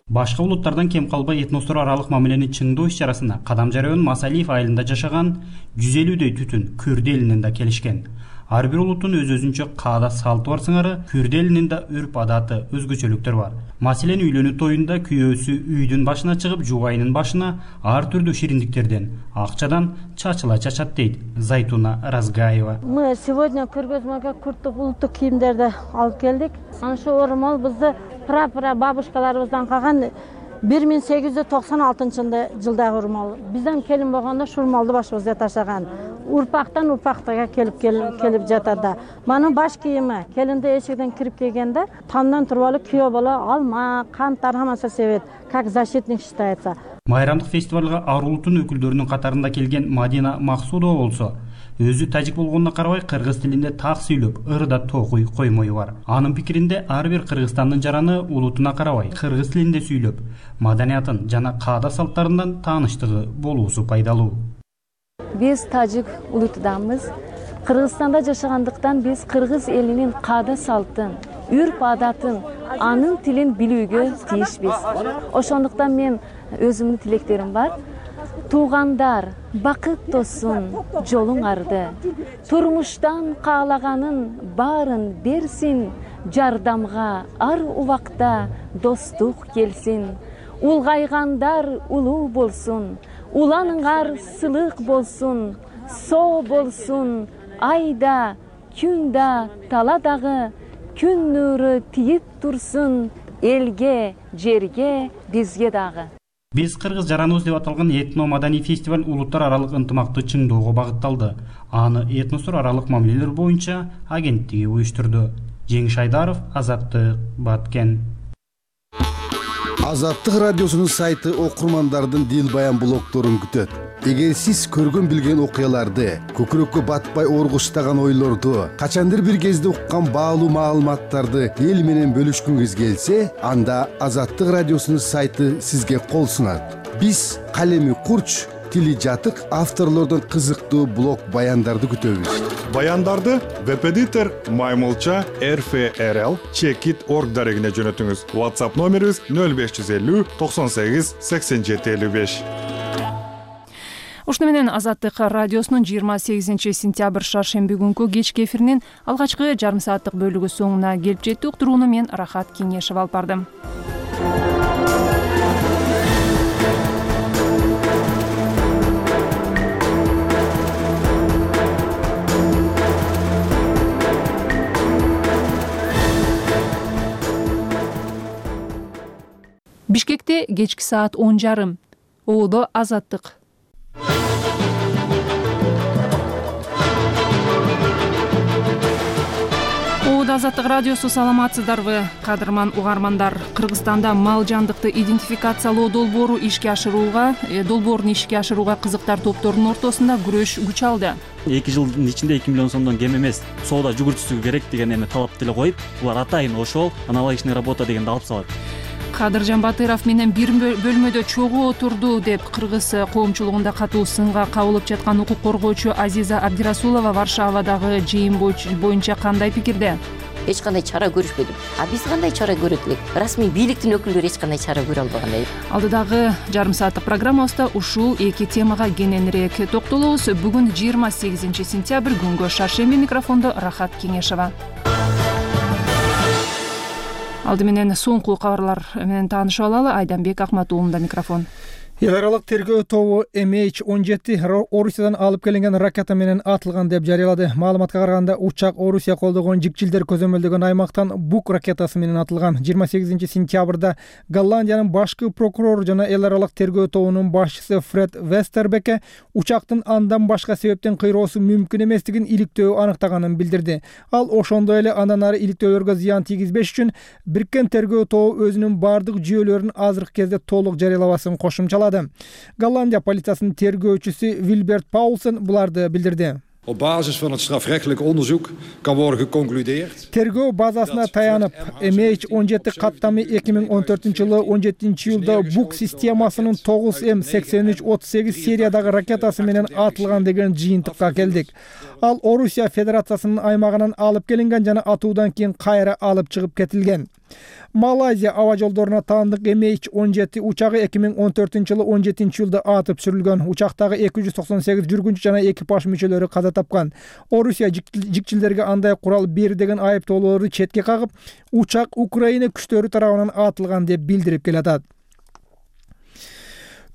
Башка улуттардан кем калбай этностор аралык мамилени чыңдоо иш-чарасына Кадам жарыйын Масалиев айылында жашаган жүз элүүдөй түтүн Күрдү элинен да келишкен. Ар бир улуттун өз-өзүнчө каада салты бар сыңары, Күрдү элинин да үрп адаты, өзгөчөлүктөр бар. Маселен үйлөнүү тоюнда күйөөсү үйдүн башына чыгып, жубайынын башына ар түрдүү шириндиктерден, акчадан чачыла чачат дейт Зайтуна Разгаева. Мы сегодня көргөзмөгө күрттүк улуттук кийимдерди алып келдик. Ана ошо оромол бизди пра-пра бабушкаларыбыздан калган бир миң сегиз жүз токсон алтынчы жылдагы урмал. Бизден келин болгондо шурмалды башыбызга ташаган. Урпактан урпактага келип келип жатады. Манын баш кийими келинде эшигден кирип келгенде тамдан туруп алып күйөө боло алма, канттар хаммасы себет, как защитник считается. Майрамдык фестивалга ар улуттун өкүлдөрүнүн катарында келген Мадина Максудова болсо, өзү тажик болгонуна карабай кыргыз тилинде так сүйлөп, ырда токуй коймою бар. Анын пикиринде ар бир Кыргызстандын жараны улутуна карабай кыргыз тилинде сүйлөп, маданиятын жана каада салттарынан тааныштыгы болуусу пайдалуу. Биз тажик улутудамыз. Кыргызстанда жашагандыктан биз кыргыз элинин каада салтын, үрп адатын, анын тилин билүүгө тийишпиз. Ошондуктан мен өзүмдүн тилектерим бар. Туугандар, бакыт тосун, жолуңарды. Турмуштан каалаганын баарын берсин, жардамга ар убакта достук келсин. Улгайгандар улуу болсун, уланыңар сылык болсун, соо болсун, айда, күндө, таладагы, күн нуру тиип турсун, элге, жерге, бизге дагы. Биз кыргыз жараныбыз деп аталган этно маданий фестиваль улуттар аралык ынтымакты чыңдоого багытталды. Аны этностор аралык мамилелер боюнча агенттиги уюштурду. Жеңиш Айдаров, Азаттык, Баткен. Азаттык радиосунун сайты окурмандардын дил баян блогдорун күтөт. Эгер сиз көргөн билген окуяларды, көкүрөккө батпай оргуштаган ойлорду, качандыр бир кезде уккан баалуу маалыматтарды эл менен бөлүшкүңүз келсе, анда Азаттык радиосунун сайты сизге кол сунат. Биз калеми курч, тили жатык авторлордон кызыктуу блог баяндарды күтөбүз. Баяндарды веб-эдитор Маймылча эр эф эр эл чекит точка орг дарегине жөнөтүңүз. WhatsApp номерибиз нөл беш жүз элүү токсон сегиз сексен жети элүү беш. Ушуну менен Азаттык радиосунун жыйырма сегизинчи сентябрь шаршемби күнкү кечки эфиринин алгачкы жарым сааттык бөлүгү соңуна келип жетти. Уктурууну мен Рахат Кеңешева алып бардым. Бишкекте кечки саат он жарым. Оодо Азаттык. Оодо Азаттык радиосу, саламатсыздарбы, кадырман угармандар. Кыргызстанда мал жандыкты идентификациялоо долбоору ишке ашырууга, долбоорун ишке ашырууга кызыктар топторунун ортосунда күрөш күч алды. эки жылдын ичинде эки миллион сомдон кем эмес соода жүгүртүүсү керек деген эми талап деле коюп, булар атайын ошол аналогичный работа дегенди алып салат. Кадыржан Батыров менен бир бөлмөдө чогуу отурду деп кыргыз коомчулугунда катуу сынга кабылып жаткан укук коргоочу Азиза Абдирасулова Варшавадагы жыйын боюнча кандай пикирде? Эч кандай чара көрүшпөдүм. А биз кандай чара көрөт элек? Расмий бийликтин өкүлдөрү эч кандай чара көрө албагандай. Алдыдагы жарым сааттык программабызда ушул эки темага кененирээк токтолобуз. Бүгүн жыйырма сегизинчи сентябрь күнгө шаршемби, микрофондо Рахат Кеңешева. Алды менен соңку кабарлар менен таанышып алалы. Айданбек Акматуулунда микрофон. Эл аралык тергөө тобу эм эйч он жети Орусиядан алып келинген ракета менен атылган деп жарыялады. Маалыматка караганда, учак Орусия колдогон жикчилдер көзөмөлдөгөн аймактан Бук ракетасы менен атылган. жыйырма сегизинчи сентябрда Голландиянын башкы прокурору жана эл аралык тергөө тобунун башчысы Фред Вестербекке учактын андан башка себептен кыйроосу мүмкүн эместигин иликтөө аныктаганын билдирди. Ал ошондой эле андан ары иликтөөлөргө зыян тийгизбеш үчүн бириккен тергөө тобу өзүнүн бардык жүйөлөрүн азыркы кезде толук жарыялабасын кошумчалады. Голландия полициясынын тергөөчүсү Вильберт Паулсен буларды билдирди. Op basis van het strafrechtelijk onderzoek kan worden geconcludeerd. Тергөө базасына таянып, эм эйч он жети каттамы эки миң он төртүнчү жылы он жетинчи жылда Бук системасынын тогуз эм сексен үч отуз сегиз сериядагы ракетасы менен атылган деген жыйынтыкка келдик. Ал Орусия Федерациясынын аймагынан алып келинген жана атуудан кийин кайра алып чыгып кетилген. Малайзия аба жолдоруна таандык эм эйч он жети учагы эки миң он төртүнчү жылы он жетинчи жылда атып сүрүлгөн. Учактагы эки жүз токсон сегиз жүргүнчү жана экипаж мүчөлөрү каза тапкан. Орусия жикчилдерге андай курал бери деген айыптоолорду четке кагып, учак Украина күчтөрү тарабынан атылган деп билдирип келатат.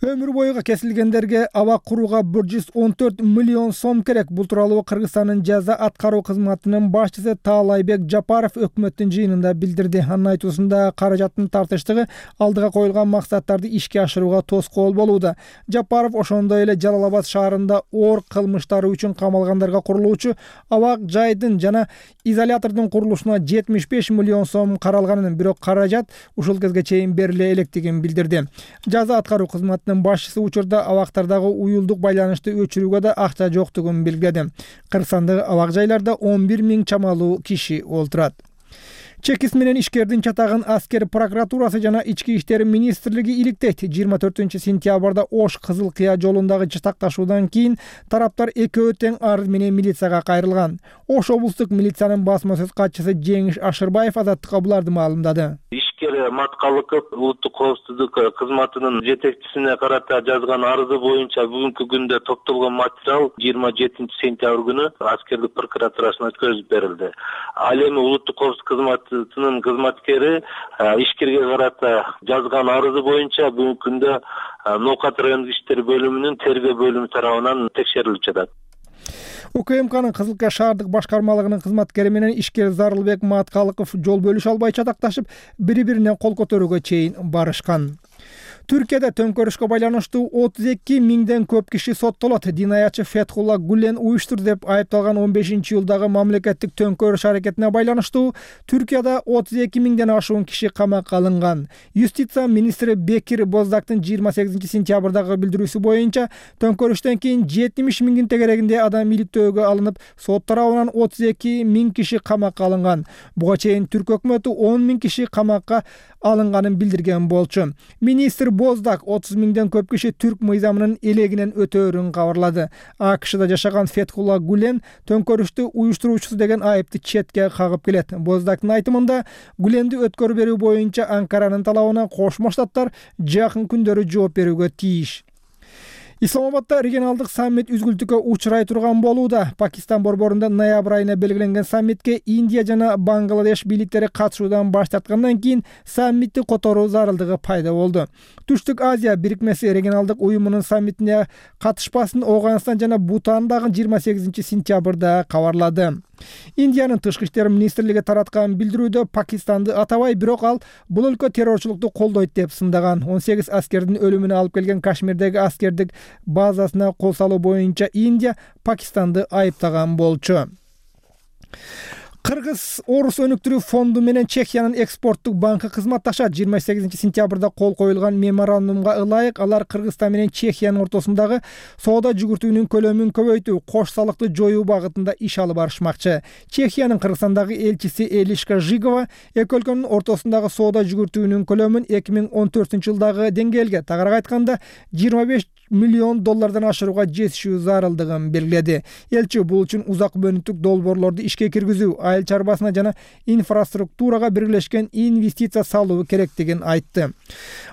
Өмүр бою кесилгендерге аба курууга бир жүз он төрт миллион сом керек. Бул тууралуу Кыргызстандын жаза аткаруу кызматынын башчысы Таалайбек Жапаров өкмөттүн жыйынында билдирди. Анын айтуусунда, каражаттын тартыштыгы алдыга коюлган максаттарды ишке ашырууга тоскоол болууда. Жапаров ошондой эле Жалал Абад шаарында оор кылмыштары үчүн камалгандарга курулуучу абак жайдын жана изолятордун курулушуна жетимиш беш миллион сом каралганын, бирок каражат ушул кезге чейин бериле электигин билдирди. Жаза аткаруу кызматынын башчысы учурда абактардагы уюлдук байланышты өчүрүүгө да акча жоктугун белгиледи. Кыргызстандагы абак жайларда он бир миң чамалуу киши олтурат. Чекис менен ишкердин чатагын аскер прокуратурасы жана ички иштер министрлиги иликтейт. жыйырма төртүнчү сентябрда Ош Кызыл Кыя жолундагы чатакташуудан кийин тараптар экөө тең арыз менен милицияга кайрылган. Ош облустук милициянын басма сөз катчысы Жеңиш Ашырбаев Азаттыкка буларды маалымдады. Ишкер Маткалыков улуттук коопсуздук кызматынын жетекчисине карата жазган арызы боюнча бүгүнкү күндө топтолгон материал жыйырма жетинчи сентябрь күнү аскердик прокуратурасына өткөрүлүп берилди. Ал эми улуттук коопсуздук кызматынын кызматкери ишкерге карата жазган арызы боюнча бүгүнкү күндө Ноокат райондук иштер бөлүмүнүн тергөө бөлүмү тарабынан текшерилип жатат. У К М К'нын Кызыл Кыя шаардык башкармалыгынын кызматкери менен ишкер Зарылбек Маткалыков жол бөлүшө албай чатакташып, бири-бирине кол көтөрүүгө чейин барышкан. Түркияда төңкөрүшкө байланыштуу отуз эки миңден көп киши соттолот. Динаячы Фетхулла Гулен уюштурду деп айыпталган он бешинчи жылдагы мамлекеттик төңкөрүш аракетине байланыштуу Түркияда отуз эки миңден ашуун киши камакка алынган. Юстиция министри Бекир Боздактын жыйырма сегизинчи сентябрдагы билдирүүсү боюнча төңкөрүштөн кийин жетимиш миңдин тегерегинде адам иликтөөгө алынып, сот тарабынан отуз эки миң киши камакка алынган. Буга чейин Түрк өкмөтү он миң киши камакка алынганын билдирген болчу. Министр Боздак отуз миңден көп киши түрк мыйзамынын элегинен өтөөрүн кабарлады. АКШда жашаган Фетхулла Гулен төңкөрүштү уюштуруучусу деген айыпты четке кагып келет. Боздактын айтымында Гуленди өткөрүп берүү боюнча Анкаранын талабына Кошмо Штаттар жакын күндөрү жооп берүүгө тийиш. Исламабадда регионалдык саммит үзгүлтүккө учурай турган болууда. Пакистан борборунда ноябрь айына белгиленген саммитке Индия жана Бангладеш бийликтери катышуудан баш тарткандан кийин саммитти которуу зарылдыгы пайда болду. Түштүк Азия бирикмеси регионалдык уюмунун саммитине катышпасын Ооганстан жана Бутан дагы жыйырма сегизинчи сентябрда кабарлады. Индиянын тышкы иштер министрлиги тараткан билдирүүдө Пакистанды атабай, бирок ал бул өлкө террорчулукту колдойт деп сындаган. он сегиз аскердин өлүмүнө алып келген Кашмирдеги аскердик базасына кол салуу боюнча Индия Пакистанды айыптаган болчу. Кыргыз Орус өнүктүрүү фонду менен Чехиянын экспорттук банкы кызматташат. жыйырма сегизинчи сентябрда кол коюлган меморандумга ылайык алар Кыргызстан менен Чехиянын ортосундагы соода жүгүртүүнүн көлөмүн көбөйтүү, кош салыкты жоюу багытында иш алып барышмакчы. Чехиянын Кыргызстандагы элчиси Элишка Жигова эки өлкөнүн ортосундагы соода жүгүртүүнүн көлөмүн эки миң он төртүнчү жылдагы деңгээлге, тагыраак айтканда жыйырма беш миллион доллардан ашырууга жетишүү зарылдыгын белгиледи. Элчи бул үчүн узак мөөнөттүк долбоорлорду ишке киргизүү, айыл чарбасына жана инфраструктурага биргелешкен инвестиция салуу керектигин айтты.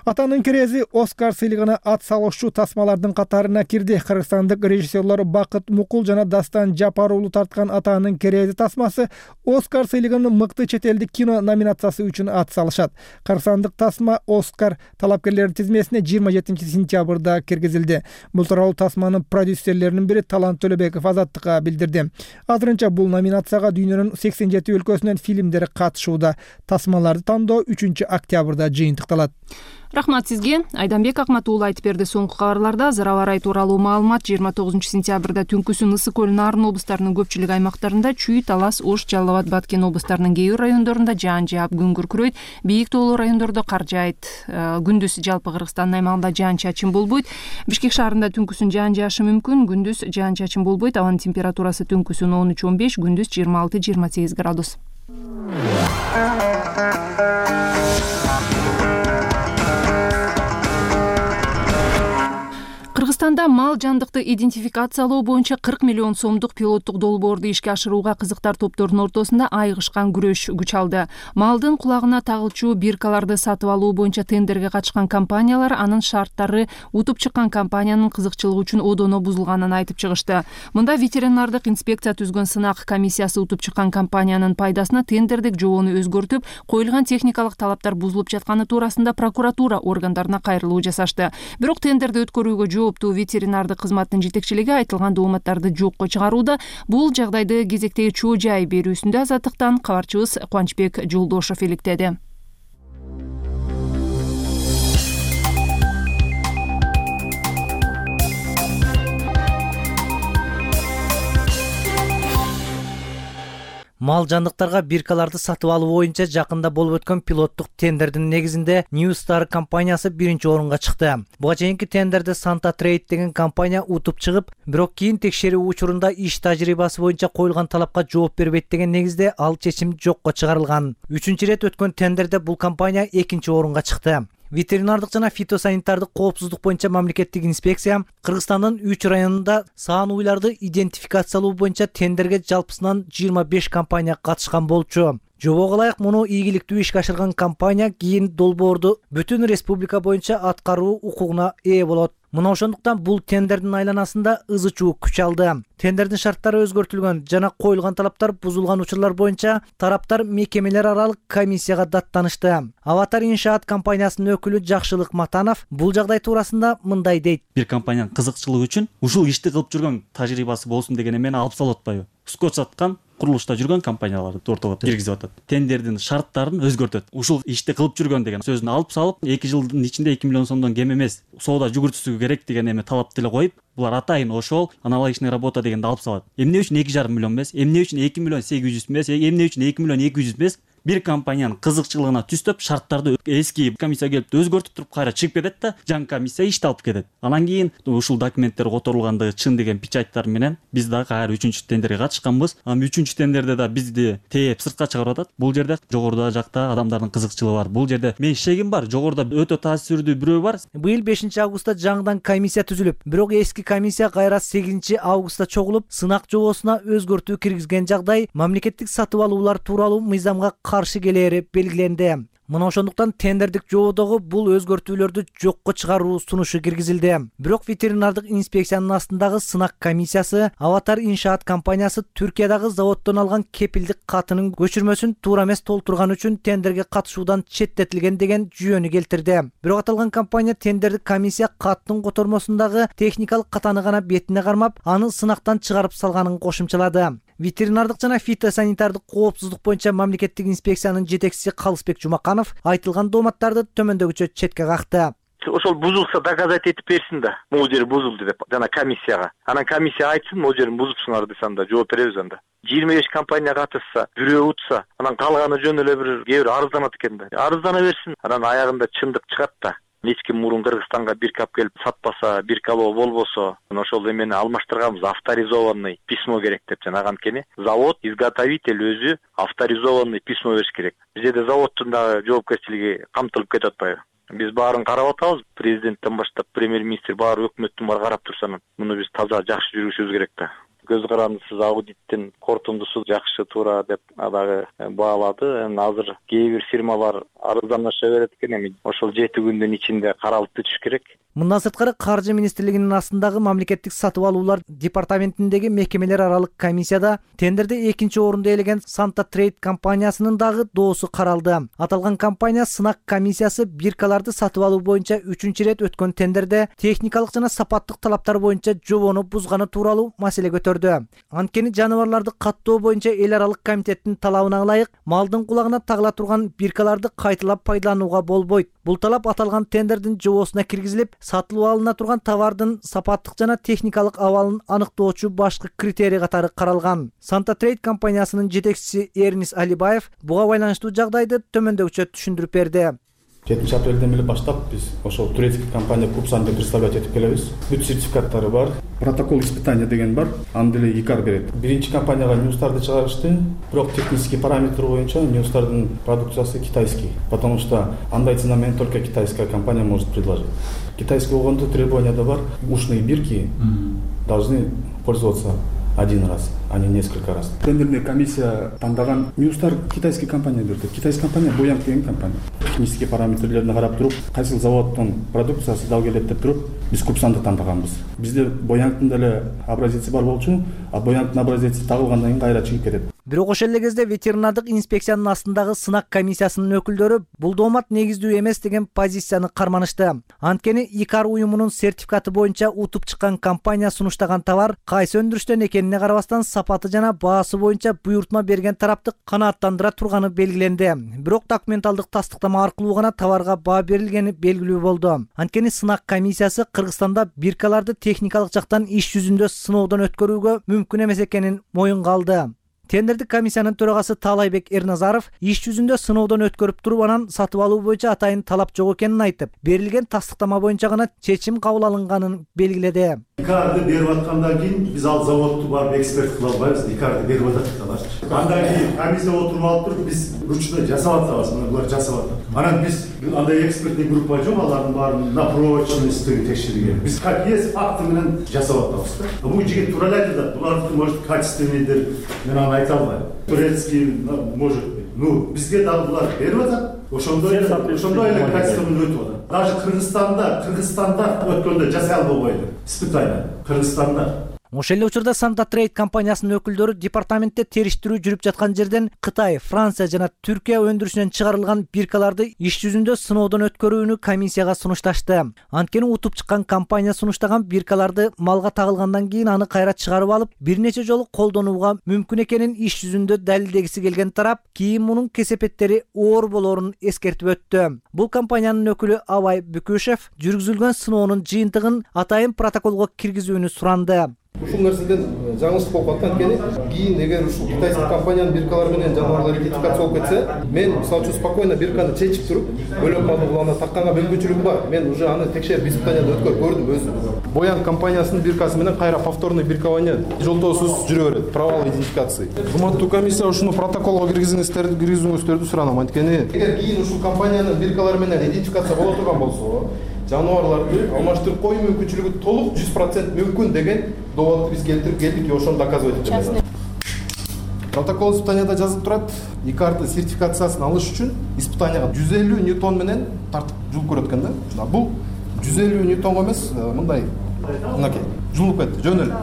Атанын керези Оскар сыйлыгына ат салуучу тасмалардын катарына кирди. Кыргызстандык режиссерлор Бакыт Мукул жана Дастан Жапар уулу тарткан Атанын керези тасмасы Оскар сыйлыгынын мыкты чет элдик кино номинациясы үчүн ат салышат. Кыргызстандык тасма Оскар талапкерлеринин тизмесине жыйырма жетинчи сентябрда киргизилди. Бул тууралуу тасманын продюсерлеринин бири Талант Төлөбеков Азаттыкка билдирди. Азырынча бул номинацияга дүйнөнүн сексен жети өлкөсүнөн фильмдер катышууда. Тасмаларды тандоо үчүнчү октябрда жыйынтыкталат. Рахмат сизге. Айданбек Акмат уулу айтып берди. Соңку кабарларда зыр аба ырайы тууралуу маалымат. жыйырма тогузунчу сентябрда түнкүсүн Ысык көл, Нарын облустарынын көпчүлүк аймактарында, Чүй, Талас, Ош, Жалал Абад, Баткен облустарынын кээ бир райондорунда жаан жаап, күн күркүрөйт. Бийик тоолуу райондордо кар жаайт. Күндүз жалпы Кыргызстандын аймагында жаан чачын болбойт. Бишкек шаарында түнкүсүн жаан жаашы мүмкүн. Күндүз жаан чачын болбойт. Абанын температурасы түнкүсүн он үч он беш, күндүз жыйырма алты жыйырма сегиз градус. Кыргызстанда мал жандыкты идентификациялоо боюнча кырк миллион сомдук пилоттук долбоорду ишке ашырууга кызыктар топторунун ортосунда айыгышкан күрөш күч алды. Малдын кулагына тагылчу биркаларды сатып алуу боюнча тендерге катышкан компаниялар анын шарттары утуп чыккан компаниянын кызыкчылыгы үчүн одоно бузулганын айтып чыгышты. Мында ветеринардык инспекция түзгөн сынак комиссиясы утуп чыккан компаниянын пайдасына тендердик жобону өзгөртүп, коюлган техникалык талаптар бузулуп жатканы туурасында прокуратура органдарына кайрылуу жасашты. Бирок тендерди өткөрүүгө жооптуу ветеринардык кызматтын жетекчилиги айтылган дооматтарды жокко чыгарууда. Бул жагдайды кезектеги чоо жай берүүсүндө Азаттыктан кабарчыбыз Кубанычбек Жолдошов иликтеди. Мал жандыктарга биркаларды сатып алуу боюнча жакында болуп өткөн пилоттук тендердин негизинде New Star компаниясы биринчи орунга чыкты. Буга чейинки тендерде Santa Trade деген компания утуп чыгып, бирок кийин текшерүү учурунда иш тажрыйбасы боюнча коюлган талапка жооп бербейт деген негизде ал чечим жокко чыгарылган. Үчүнчү ирет өткөн тендерде бул компания экинчи орунга чыкты. Ветеринардык жана фитосанитардык коопсуздук боюнча мамлекеттик инспекция Кыргызстандын үч районунда саан уйларды идентификациялоо боюнча тендерге жалпысынан жыйырма беш компания катышкан болчу. Жобого ылайык муну ийгиликтүү ишке ашырган компания кийин долбоорду бүтүн республика боюнча аткаруу укугуна ээ болот. Мына ошондуктан бул тендердин айланасында ызы чуу күч алды. Тендердин шарттары өзгөртүлгөн жана коюлган талаптар бузулган учурлар боюнча тараптар мекемелер аралык комиссияга даттанышты. Аватар иншаат компаниясынын өкүлү Жакшылык Матанов бул жагдай туурасында мындай дейт. Бир компаниянын кызыкчылыгы үчүн ушул ишти кылып жүргөн тажрыйбасы болсун деген эмени алып салып атпайбы? Скотч саткан, курулушта жүргөн компанияларды ортого киргизип атат. Тендердин шарттарын өзгөртөт. Ушул ишти кылып жүргөн деген сөзүн алып салып, эки жылдын ичинде эки миллион сомдон кем эмес соода жүгүртүүсү керек деген эме талапты эле коюп, булар атайын ошол аналогичный работа дегенди алып салат. Эмне үчүн эки жарым миллион эмес, эмне үчүн эки миллион сегиз жүз эмес, эмне үчүн эки миллион эки жүз эмес? Бир компаниянын кызыкчылыгына түстөп, шарттарды эски комиссия келип өзгөртүп туруп кайра чыгып кетет да, жаңы комиссия ишти алып кетет. Анан кийин ушул документтер которулгандыгы чын деген печаттар менен биз дагы кайра үчүнчү тендерге катышканбыз. Анан үчүнчү тендерде да бизди тээп сыртка чыгарып атат. Бул жерде жогоруда жакта адамдардын кызыкчылыгы бар. Бул жерде мен шегим бар, жогоруда өтө таасирдүү бирөө бар. Быйыл бешинчи августта жаңыдан комиссия түзүлүп, бирок эски комиссия кайра сегизинчи августта чогулуп, сынак жобосуна өзгөртүү киргизген жагдай мамлекеттик сатып алуулар тууралуу мыйзамга каршы келери белгиленди. Мына ошондуктан тендердик жободогу бул өзгөртүүлөрдү жокко чыгаруу сунушу киргизилди. Бирок ветеринардык инспекциянын астындагы сынак комиссиясы Аватар иншаат компаниясы Түркиядагы заводдон алган кепилдик катынын көчүрмөсүн туура эмес толтурган үчүн тендерге катышуудан четтетилген деген жүйөнү келтирди. Бирок аталган компания тендердик комиссия каттын котормосундагы техникалык катаны гана бетине кармап, аны сынактан чыгарып салганын кошумчалады. Ветеринардык жана фитосанитардык коопсуздук боюнча мамлекеттик инспекциянын жетекчиси Калысбек Жумаканов айтылган дооматтарды төмөндөгүчө четке какты. Ошол бузулса доказать этип берсин да, могу жери бузулду деп жана комиссияга. Анан комиссия айтсын, могу жерин бузупсуңар десе анда жооп беребиз анда. жыйырма беш компания катышса, бирөө утса, анан калганы жөн эле бир кээ бир арызданат экен да. Арыздана берсин, анан аягында чындык чыгат да. Эч ким мурун Кыргызстанга бир кап келип сатпаса, бир кало болбосо, ошол эмени алмаштырганбыз, авторизованный письмо керек деп жана анткени завод, изготовитель өзү авторизованный письмо бериш керек. Бизде заводдун дагы жоопкерчилиги камтылып кетип атпайбы? Биз баарын карап атабыз, президенттен баштап премьер-министр баары өкмөттүн баары карап турса, муну биз таза жакшы жүргүзүшүбүз керек да. Көз карандысыз аудиттин корутундусу жакшы туура деп дагы баалады. Эми азыр кээ бир фирмалар арызданыша берет экен, эми ошол жети күндүн ичинде каралып бүтүш керек. Мындан сырткары Каржы министрлигинин астындагы мамлекеттик сатып алуулар департаментиндеги мекемелер аралык комиссияда тендерде экинчи орунду ээлеген Санта Трейд компаниясынын дагы доосу каралды. Аталган компания сынак комиссиясы биркаларды сатып алуу боюнча үчүнчү ирет өткөн тендерде техникалык жана сапаттык талаптар боюнча жобону бузганы тууралуу маселе көтөрдү. Анткени жаныбарларды каттоо боюнча эл аралык комитеттин талабына ылайык малдын кулагына тагыла турган биркаларды кайталап пайдаланууга болбойт. Бул талап аталган тендердин жобосуна киргизилип, сатылып алына турган товардын сапаттык жана техникалык абалын аныктоочу башкы критерий катары каралган. Санта Трейд компаниясынын жетекчиси Эрнис Алибаев буга байланыштуу жагдайды төмөндөгүчө түшүндүрүп берди. жетинчи апрелден эле баштап биз ошол турецкий компания Купсанды представлять этип келебиз. Бүт сертификаттары бар, протокол испытания деген бар, аны деле ИКАР берет. Биринчи компанияга ньюстарды чыгарышты, бирок технический параметр боюнча ньюстардын продукциясы китайский, потому что андай цена менен только китайская компания может предложить. Китайский болгондо требованияда бар, ушные бирки должны пользоваться один раз, а не несколько раз. Тендерная комиссия тандаган ньюстар китайский компания берди. Китайский компания Боянг деген компания. Технический параметрлерин карап туруп, кайсыл заводдун продукциясы дал келет деп туруп, биз Купсанды тандаганбыз. Бизде Боянгдын деле образеси бар болчу, а Боянгдын образеси тагылгандан кийин кайра чыгып кетет. Бирок ошол эле кезде ветеринардык инспекциянын астындагы сынак комиссиясынын өкүлдөрү бул доомат негиздүү эмес деген позицияны карманышты. Анткени ИКАР уюмунун сертификаты боюнча утуп чыккан компания сунуштаган товар кайсы өндүрүштөн экенине карабастан сапаты жана баасы боюнча буйртма берген тарапты канааттандыра турганы белгиленди. Бирок документалдык тастыктама аркылуу гана товарга баа берилгени белгилүү болду. Анткени сынак комиссиясы Кыргызстанда биркаларды техникалык жактан иш жүзүндө сыноодон өткөрүүгө мүмкүн эмес экенин моюнга алды. Тендердик комиссиянын төрагасы Таалайбек Эрназаров иш жүзүндө сыноодон өткөрүп туруп анан сатып алуу боюнча атайын талап жок экенин айтып, берилген тастыктама боюнча гана чечим кабыл алынганын белгиледи. ИКАРды берип аткандан кийин биз ал заводду барып эксперт кыла албайбыз. ИКАРды берип атат аларчы. Андан кийин комиссия отуруп алып туруп биз ручной жасап атабыз, мына булар жасап атат. Анан биз андай экспертный группа жок, алардын баарын на прочность текшерген. Биз как есть факты менен жасап атабыз да. Бул жигит туура эле айтат, булардыкы может качественныйдир. Мен аны айта албайм. Турецкий может быть. Ну, бизге дагы булар берип атат. Ошондой эле, ошондой эле качественно өтүп атат. Даже Кыргызстанда, Кыргызстанда өткөндө жасай албай койду. Испытание Кыргызстанда. Ошол эле учурда Santa Trade компаниясынын өкүлдөрү департаментте териштирүү жүрүп жаткан жерден Кытай, Франция жана Түркия өндүрүшүнөн чыгарылган биркаларды иш жүзүндө сыноодон өткөрүүнү комиссияга сунушташты. Анткени утуп чыккан компания сунуштаган биркаларды малга тагылгандан кийин аны кайра чыгарып алып, бир нече жолу колдонууга мүмкүн экенин иш жүзүндө далилдегиси келген тарап кийин мунун кесепеттери оор болоорун эскертип өттү. Бул компаниянын өкүлү Абай Бүкүшев жүргүзүлгөн сыноонун жыйынтыгын атайын протоколго киргизүүнү суранды. Ушул нерседен жаңылыш болуп калат. Анткени кийин эгер ушул китайский компаниянын биркалары менен жанагылар ратификация болуп кетсе, мен мисалы үчүн спокойно бирканы чечип туруп, өлөм малды улана такканга мүмкүнчүлүгүм бар. Мен уже аны текшерип испытаниядан өткөрүп көрдүм өзүм. Боян компаниясынын биркасы менен кайра повторный биркование жолтоосуз жүрө берет. Провал идентификации. Урматтуу комиссия, ушуну протоколго киргизиңиздерди, киргизүүңүздөрдү суранам. Анткени эгер кийин ушул компаниянын биркалары менен идентификация боло турган болсо, жаныбарларды алмаштырып коюу мүмкүнчүлүгү толук жүз процент мүмкүн деген доводду биз келтирип келдик, ошону доказывать этебиз. Протокол испытанияда жазылып турат, икарды сертификациясын алыш үчүн испытанияга жүз элүү ньютон менен тартып жулуп көрөт экен да. Бул жүз элүү ньютонго эмес, мындай мынакей жулуп кетти, жөн эле.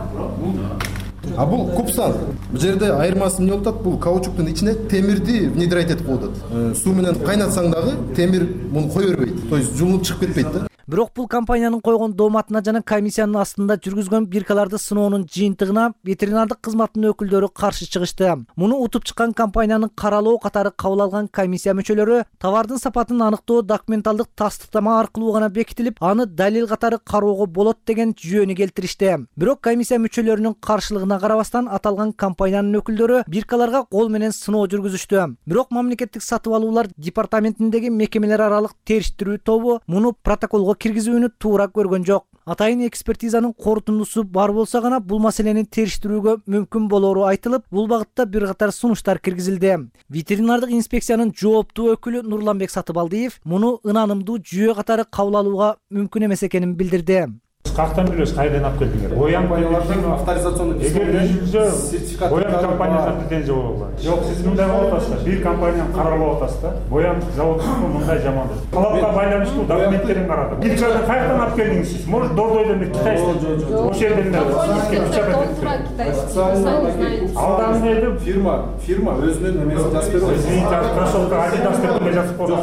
А бул купсан. Бул жерде айырмасы эмне болуп атат? Бул каучуктун ичине темирди внедрять этип коюп атат. Суу менен кайнатсаң дагы темир муну кое бербейт. То есть жулуп чыгып кетпейт да. Бирок бул компаниянын койгон дооматына жана комиссиянын астында жүргүзгөн биркаларды сыноонун жыйынтыгына ветеринардык кызматтын өкүлдөрү каршы чыгышты. Муну утуп чыккан компаниянын каралоо катары кабыл алган комиссия мүчөлөрү товардын сапатын аныктоо документалдык тастыктама аркылуу гана бекитилип, аны далил катары кароого болот деген жүйөнү келтиришти. Бирок комиссия мүчөлөрүнүн каршылыгына карабастан аталган компаниянын өкүлдөрү биркаларга кол менен сыноо жүргүзүштү. Бирок мамлекеттик сатып алуулар департаментиндеги мекемелер аралык териштирүү тобу муну протоколго киргизүүнү туура көргөн жок. Атайын экспертизанын корутундусу бар болсо гана бул маселени териштирүүгө мүмкүн болоору айтылып, бул багытта бир катар сунуштар киргизилди. Ветеринардык инспекциянын жооптуу өкүлү Нурланбек Сатыбалдиев муну ынанымдуу жүйө катары кабыл алууга мүмкүн эмес экенин билдирди. Каяктан билебиз, кайдан алып келдиңер? Боян компаниялардын авторизационный сертификат. Боян компаниясына претензия болобу? Жок, сиз мындай болуп атасыздар. Бир компанияны каралап атасыз да. Боян заводунун мындай жамандык. Талапка байланыштуу документтерин карадым. Бир жолу каяктан алып келдиңиз сиз? Может, Дордойдон бир китайский. Ошол жерден эле. Алдан эле фирма, фирма өзүнүн эмесин жазып берет. Извините, кроссовка Adidas деп жазып коюп.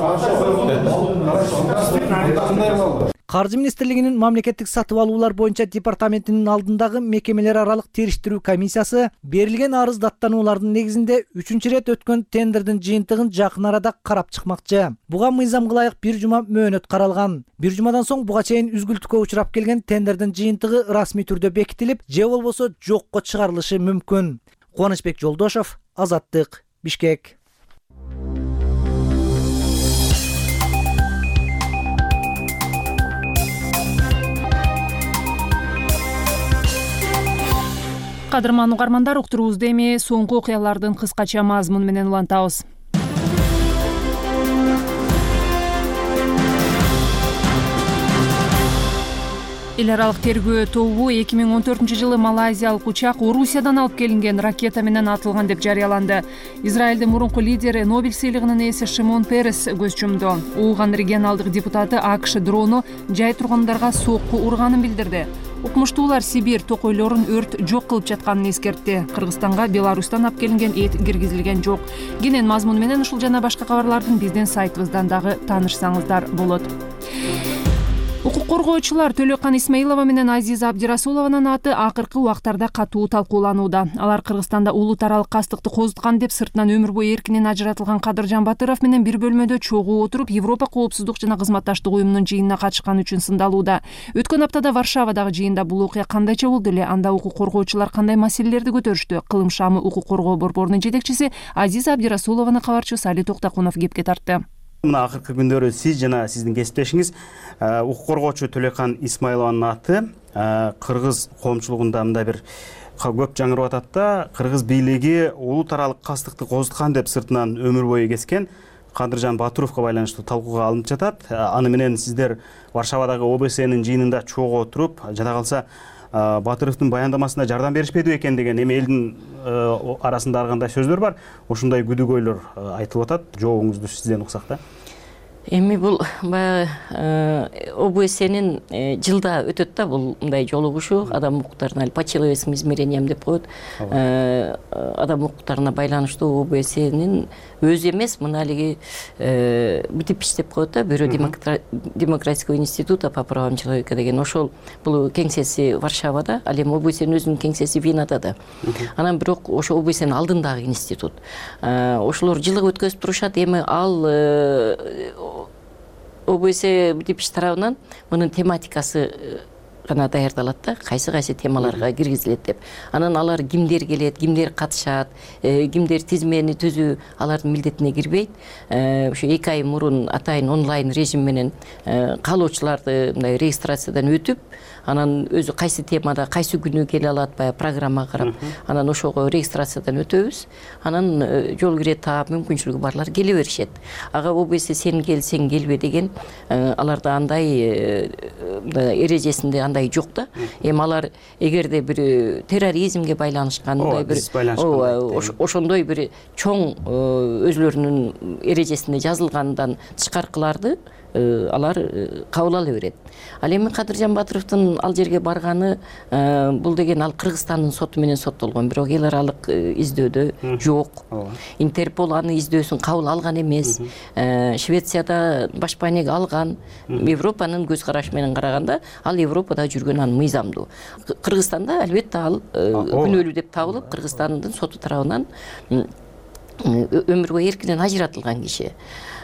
Каржы министрлигинин мамлекеттик сатып алуулар боюнча департаментинин алдындагы мекемелер аралык териштирүү комиссиясы берилген арыз даттануулардын негизинде үчүнчү ирет өткөн тендердин жыйынтыгын жакын арада карап чыкмакчы. Буга мыйзамга ылайык бир жума мөөнөт каралган. Бир жумадан соң буга чейин үзгүлтүккө учурап келген тендердин жыйынтыгы расмий түрдө бекитилип, же болбосо жокко чыгарылышы мүмкүн. Кубанычбек Жолдошов, Азаттык, Бишкек. Кадырман угармандар, уктуруубузду эми соңку окуялардын кыскача мазмуну менен улантабыз. Эл аралык тергөө тобу эки миң он төртүнчү жылы малайзиялык учак Орусиядан алып келинген ракета менен атылган деп жарыяланды. Израилдин мурунку лидери, Нобель сыйлыгынын ээси Шимон Перес көз жумду. Ууган регионалдык депутаты АКШ дрону жай тургундарга сокку урганын билдирди. Укмуштуулар Сибирь токойлорун өрт жок кылып жатканын эскертти. Кыргызстанга Беларустан алып келинген эт киргизилген жок. Кенен мазмуну менен ушул жана башка кабарлардын биздин сайтыбыздан дагы таанышсаңыздар болот. Укук коргоочулар Төлөкан Исмаилова менен Азиза Абдирасулованын аты акыркы убактарда катуу талкууланууда. Алар Кыргызстанда улут аралык кастыкты козуткан деп сыртынан өмүр бою эркинен ажыратылган Кадыржан Батыров менен бир бөлмөдө чогуу отуруп Европа коопсуздук жана кызматташтык уюмунун жыйынына катышканы үчүн сындалууда. Өткөн аптада Варшавадагы жыйында бул окуя кандайча болду эле? Анда укук коргоочулар кандай маселелерди көтөрүштү? Кылым шамы укук коргоо борборунун жетекчиси Азиза Абдирасулованы кабарчы Сали Токтакунов кепке тартты. Мына акыркы күндөрү сиз жана сиздин кесиптешиңиз укук коргоочу Төлөкан Исмаилованын аты кыргыз коомчулугунда мындай бир көп жаңырып атат да, кыргыз бийлиги улут аралык кастыкты козуткан деп сыртынан өмүр бою кескен Кадыржан Батыровго байланыштуу талкууга алынып жатат. Аны менен сиздер Варшавадагы О Б С'нин жыйынында чогуу отуруп, жада калса Батыровдун баяндамасына жардам беришпеди экен деген эми элдин арасында ар кандай сөздөр бар. Ошондой күдүгөйлөр айтылып атат. Жообуңузду сизден уксак да. эми бул баягы ОБСнин жылда өтөт да бул мындай жолугушуу адам укуктарына по человеческим измерениям деп коет. Адам укуктарына байланыштуу ОБСнин өзү эмес мына алиги БТИПИЧ деп коет да, Бюро демократического института по правам человека деген, ошол бул кеңсеси Варшавада, ал эми ОБСнин өзүнүн кеңсеси Венада да. Анан бирок ошо ОБСнин алдындагы институт. Ошолор жылык өткөзүп турушат. Эми ал ОБС БТИПИЧ тарабынан мунун тематикасы гана даярдалат да, кайсы кайсы темаларга киргизилет деп. Анан алар кимдер келет, кимдер катышат, кимдер тизмени түзүү алардын милдетине кирбейт. Ошо эки ай мурун атайын онлайн режим менен каалоочуларды мындай регистрациядан өтүп, анан өзү кайсы темада кайсы күнү келе алат, баягы программа карап, анан ошого регистрациядан өтөбүз. Анан жол кире таап мүмкүнчүлүгү барлар келе беришет. Ага ОБС сен келсең келбе деген аларда андай эрежесинде андай жок да. Эми алар эгерде бир терроризмге байланышкан мындай бир ошондой бир чоң өзүлөрүнүн эрежесинде жазылгандан тышкаркыларды алар кабыл ала берет. Ал эми Кадыржан Батыровдун ал жерге барганы бул деген ал Кыргызстандын соту менен соттолгон, бирок эл аралык издөөдө жок. Интерпол аны издөөсүн кабыл алган эмес. Швецияда башпанег алган. Европанын көз карашы менен караганда ал Европада жүргөн, аны мыйзамдуу. Кыргызстанда албетте ал күнөөлүү деп табылып, Кыргызстандын соту тарабынан өмүр бою эркинен ажыратылган киши.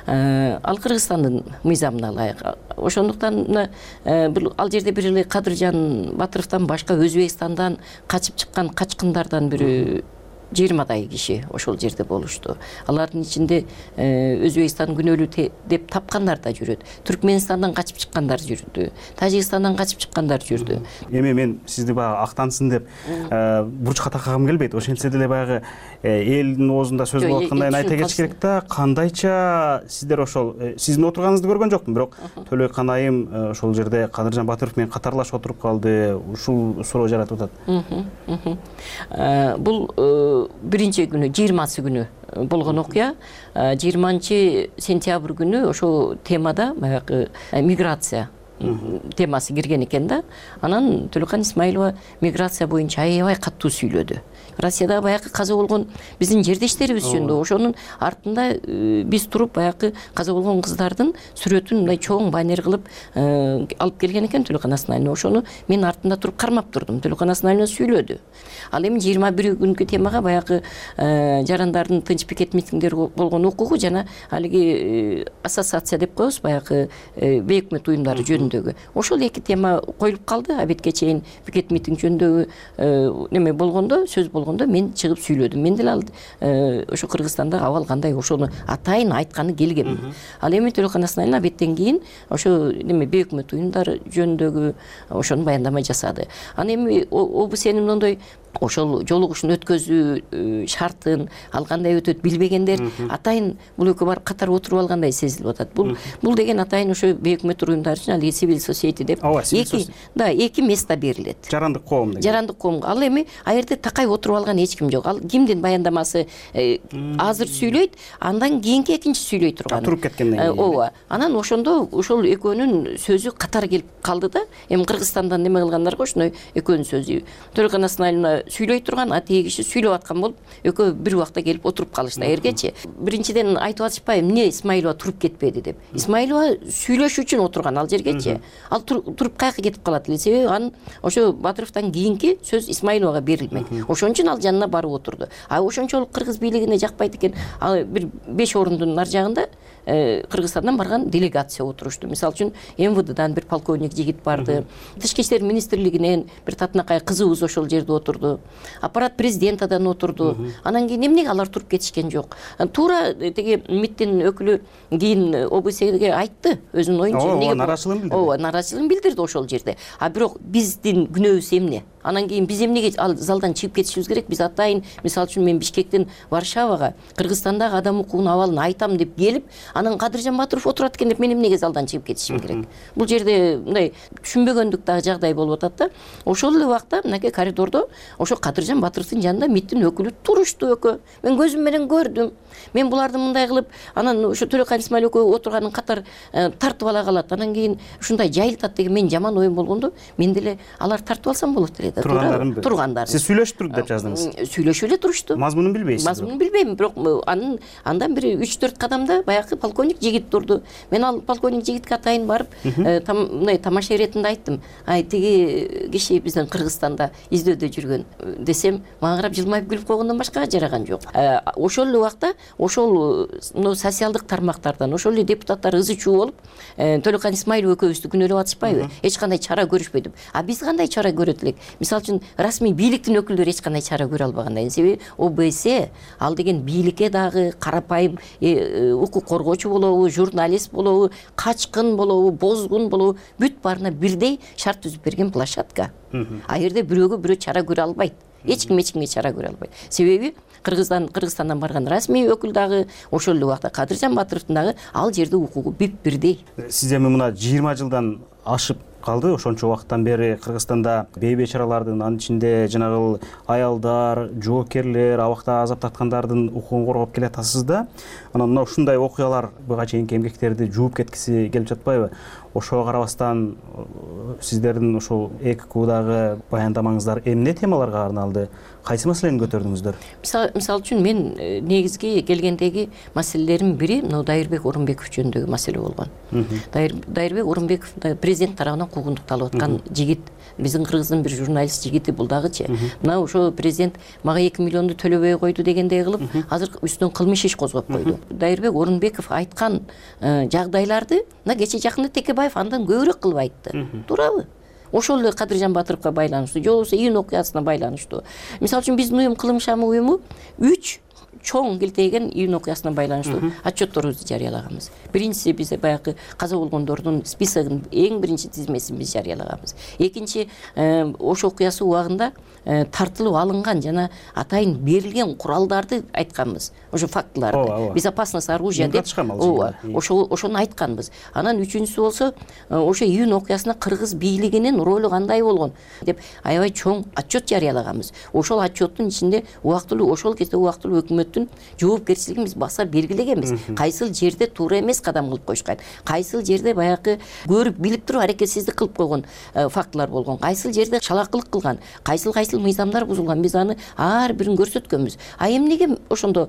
Ал Кыргызстандын мыйзамына ылайык. Ошондуктан ал жерде бир эле Кадыржан Батыровдон башка Өзбекстандан качып чыккан качкындардан бири жыйырмадай киши ошол жерде болушту. Алардын ичинде Өзбекстан күнөөлүү деп тапкандар да жүрөт. Түркменистандан качып чыккандар жүрдү. Тажикстандан качып чыккандар жүрдү. Эми мен сизди баягы актансын деп бурчка таккагым келбейт. Ошентсе деле баягы элдин оозунда сөз болуп аткандай айта кетиш керек да. Кандайча сиздер ошол сиздин отурганыңызды көргөн жокмун, бирок Төлөйкан айым ошол жерде Кадыржан Батыров менен катарлашып отуруп калды. Ушул суроо жаратып атат. Бул биринчи күнү, жыйырмасы күнү болгон окуя. жыйырманчы сентябрь күнү ошол темада баягы миграция темасы кирген экен да. Анан Төлөйкан Исмаилова миграция боюнча аябай катуу сүйлөдү. Россияда баягы каза болгон биздин жердештерибиз жөнүндө, ошонун артында биз туруп баягы каза болгон кыздардын сүрөтүн мындай чоң баннер кылып алып келген экен Төлөйкан Асмаилова. Ошону мен артында туруп кармап турдум. Төлөйкан Асмаилова сүйлөдү. Ал эми жыйырма бир күнкү темага баягы жарандардын тынч пикет митингдери болгон окугу жана алиги ассоциация деп коебуз, баягы бейөкмөт уюмдары жөнүндөгү. Ошол эки тема коюлуп калды. Абетке чейин пикет митинг жөнүндөгү неме болгондо, сөз болгондо мен чыгып сүйлөдүм. Мен деле ал ошо Кыргызстанда абал кандай ошону атайын айтканы келгем. Ал эми Төлөйкан Асмаилова абеттен кийин ошо неме бейөкмөт уюмдар жөнүндөгү ошону баяндама жасады. Аны эми ОБСнин мондой ошол жолугушууну өткөзүү шартын ал кандай өтөт билбегендер атайын бул экөө бар катар отуруп алгандай сезилип атат. Бул бул деген атайын ошо бейөкмөт уюмдар үчүн алиги civil society деп эки да эки место берилет. Жарандык коом деген. Жарандык коомго. Ал эми а жерде такай отуруп алган эч ким жок. Ал кимдин баяндамасы азыр сүйлөйт, андан кийинки экинчи сүйлөй турган. Туруп кеткенден кийин. Ооба. Анан ошондо ошол экөөнүн сөзү катар келип калды да. Эми Кыргызстандан неме кылгандарга ошондой экөөнүн сөзү. Төлөйкан Асмаилова сүйлөй турган, а тиги киши сүйлөп аткан болуп, экөө бир убакта келип отуруп калышты. Эргечи биринчиден айтып атышпайбы, эмне Исмаилова туруп кетпеди деп. Исмаилова сүйлөшүү үчүн отурган ал жергечи. Ал туруп каяка кетип калат эле, себеби анын ошо Батыровдон кийинки сөз Исмаиловага берилмек. Ошон үчүн ал жанына барып отурду. А ошончолук кыргыз бийлигине жакпайт экен. Ал бир беш орундун ар жагында Кыргызстандан барган делегация отурушту. Мисалы үчүн эм вэ дэдан бир полковник жигит барды. Тышкы иштер министрлигинен бир татынакай кызыбыз ошол жерде отурду. Аппарат президентадан отурду. Анан кийин эмнеге алар туруп кетишкен жок? Туура теги МИДтин өкүлү кийин ОБСге айтты өзүнүн оюнча. Ооба, нараачылыгын билдирди. Ооба, нараачылыгын билдирди ошол жерде. А бирок биздин күнөөбүз эмне? анан кийин биз эмнеге ал залдан чыгып кетишибиз керек? Биз атайын, мисалы үчүн мен Бишкектен Варшавага Кыргызстандагы адам укугунун абалын айтам деп келип, анан Кадыржан Батыров отурат экен деп мен эмнеге залдан чыгып кетишим керек? Бул жерде мындай түшүнбөгөндүк дагы жагдай болуп атат да. Ошол эле убакта мынакей коридордо ошо Кадыржан Батыровдун жанында МИДтин өкүлү турушту экөө. Мен көзүм менен көрдүм. Мен буларды мындай кылып, анан ошо Төрөкан Исмаил экөө отурганын катар тартып ала калат. Анан кийин ушундай жайылтат деген мен жаман оюм болгондо, мен деле алар тартып алсам болот эле да. Тургандарымбы? Тургандарын. Сиз сүйлөшүп туруп деп жаздыңыз. Сүйлөшүп эле турушту. Мазмунун билбейсиз? Мазмунун билбейм, бирок анын андан бир үч төрт кадамда баягы полковник жигит турду. Мен ал полковник жигитке атайын барып, мындай тамаша иретинде айттым. Ай, тиги киши биздин Кыргызстанда издөөдө жүргөн десем, мага карап жылмайып күлүп койгондон башкага жараган жок. Ошол эле убакта ошол социалдык тармактардан ошол эле депутаттар ызы чуу болуп, Төлөкан Исмаилов экөөбүздү күнөөлөп атышпайбы? Эч кандай чара көрүшпөй деп. А биз кандай чара көрөт элек? Мисалы үчүн расмий бийликтин өкүлдөрү эч кандай чара көрө албагандай. Себеби ОБС ал деген бийликке дагы карапайым укук коргоочу болобу, журналист болобу, качкын болобу, бозгун болобу, бүт баарына бирдей шарт түзүп берген площадка. А жерде бирөөгө бирөө чара көрө албайт. Эч ким эч кимге чара көрө албайт. Себеби Кыргызстан Кыргызстандан барган расмий өкүл дагы, ошол эле убакта Кадыржан Батыровдун дагы ал жерде укугу бүт бирдей. Сиз эми мына жыйырма жылдан ашып калды, ошончо убакыттан бери Кыргызстанда бейбечаралардын, анын ичинде жанагы аялдар, жоокерлер, абакта азап тарткандардын укугун коргоп келатасыз да. Анан мына ушундай окуялар буга чейинки эмгектерди жууп кеткиси келип жатпайбы? Ошого карабастан сиздердин ошол ЭККУдагы баяндамаңыздар эмне темаларга арналды? Кайсы маселени көтөрдүңүздөр? Мисалы үчүн мен негизги келгендеги маселелердин бири мына Дайырбек Орунбеков жөнүндөгү маселе болгон. Дайырбек Орунбеков президент тарабынан куугунтукталып аткан жигит, биздин Кыргыздын бир журналист жигити бул дагычы. Мына ошо президент мага эки миллионду төлөбөй койду дегендей кылып, азыр үстүнөн кылмыш иш козгоп койду. Дайырбек Орунбеков айткан жагдайларды мына кече жакында Текебаев андан көбүрөөк кылып айтты. Туурабы? Ошол эле Кадыржан Батыровго байланыштуу, же болбосо июнь окуясына байланыштуу. Мисалы үчүн биздин уюм Кылым шамы уюму үч чоң келтейген июнь окуясына байланыштуу отчетторубузду жарыялаганбыз. Биринчиси биз баягы каза болгондордун списогун, эң биринчи тизмесин биз жарыялаганбыз. Экинчи ошол окуясы убагында тартылып алынган жана атайын берилген куралдарды айтканбыз. Ошо фактыларды. Безопасность оружия деп ошо ошону айтканбыз. Анан үчүнчүсү болсо ошо июнь окуясына кыргыз бийлигинин ролу кандай болгон деп аябай чоң отчет жарыялаганбыз. Ошол отчеттун ичинде убактылуу ошол кезде убактылуу өкмөттүн жоопкерчилигин биз баса белгилегенбиз. Кайсыл жерде туура эмес кадам кылып коюшкан, кайсыл жерде баягы көрүп билип туруп аракетсиздик кылып койгон фактылар болгон, кайсыл жерде чалакылык кылган, кайсыл кайсыл мыйзамдар бузулган, биз аны ар бирин көрсөткөнбүз. А эмнеге ошондо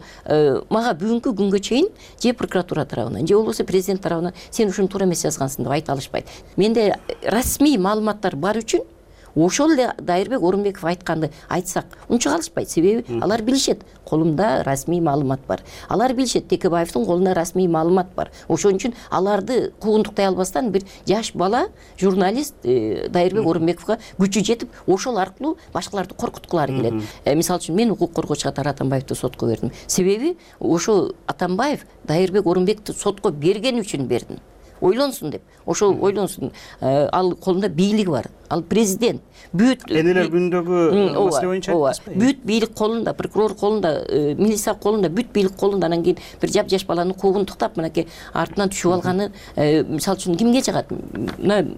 мага бүгүнкү күнгө чейин же прокуратура тарабынан, же болбосо президент тарабынан сен ушуну туура эмес жазгансың деп айта алышпайт. Менде расмий маалыматтар бар үчүн ошол эле Дайырбек Орунбеков айтканды айтсак унча калышпайт. Себеби алар билишет, колумда расмий маалымат бар. Алар билишет, Текебаевдин колунда расмий маалымат бар. Ошон үчүн аларды куугунтуктай албастан бир жаш бала журналист Дайырбек Орунбековго күчү жетип, ошол аркылуу башкаларды коркуткулары келет. Мисалы үчүн мен укук коргоочу катары Атамбаевди сотко бердим. Себеби ошо Атамбаев Дайырбек Орунбековду сотко берген үчүн бердим. Ойлонсун деп. Ошол ойлонсун. Ал колунда бийлиги бар. Ал президент. Бүт энелер күнүндөгү маселе боюнча айтпайсызбы? Бүт бийлик колунда, прокурор колунда, милиция колунда, бүт бийлик колунда. Анан кийин бир жап жаш баланы куугунтуктап, мынакей артынан түшүп алганы, мисалы үчүн кимге жагат? Мына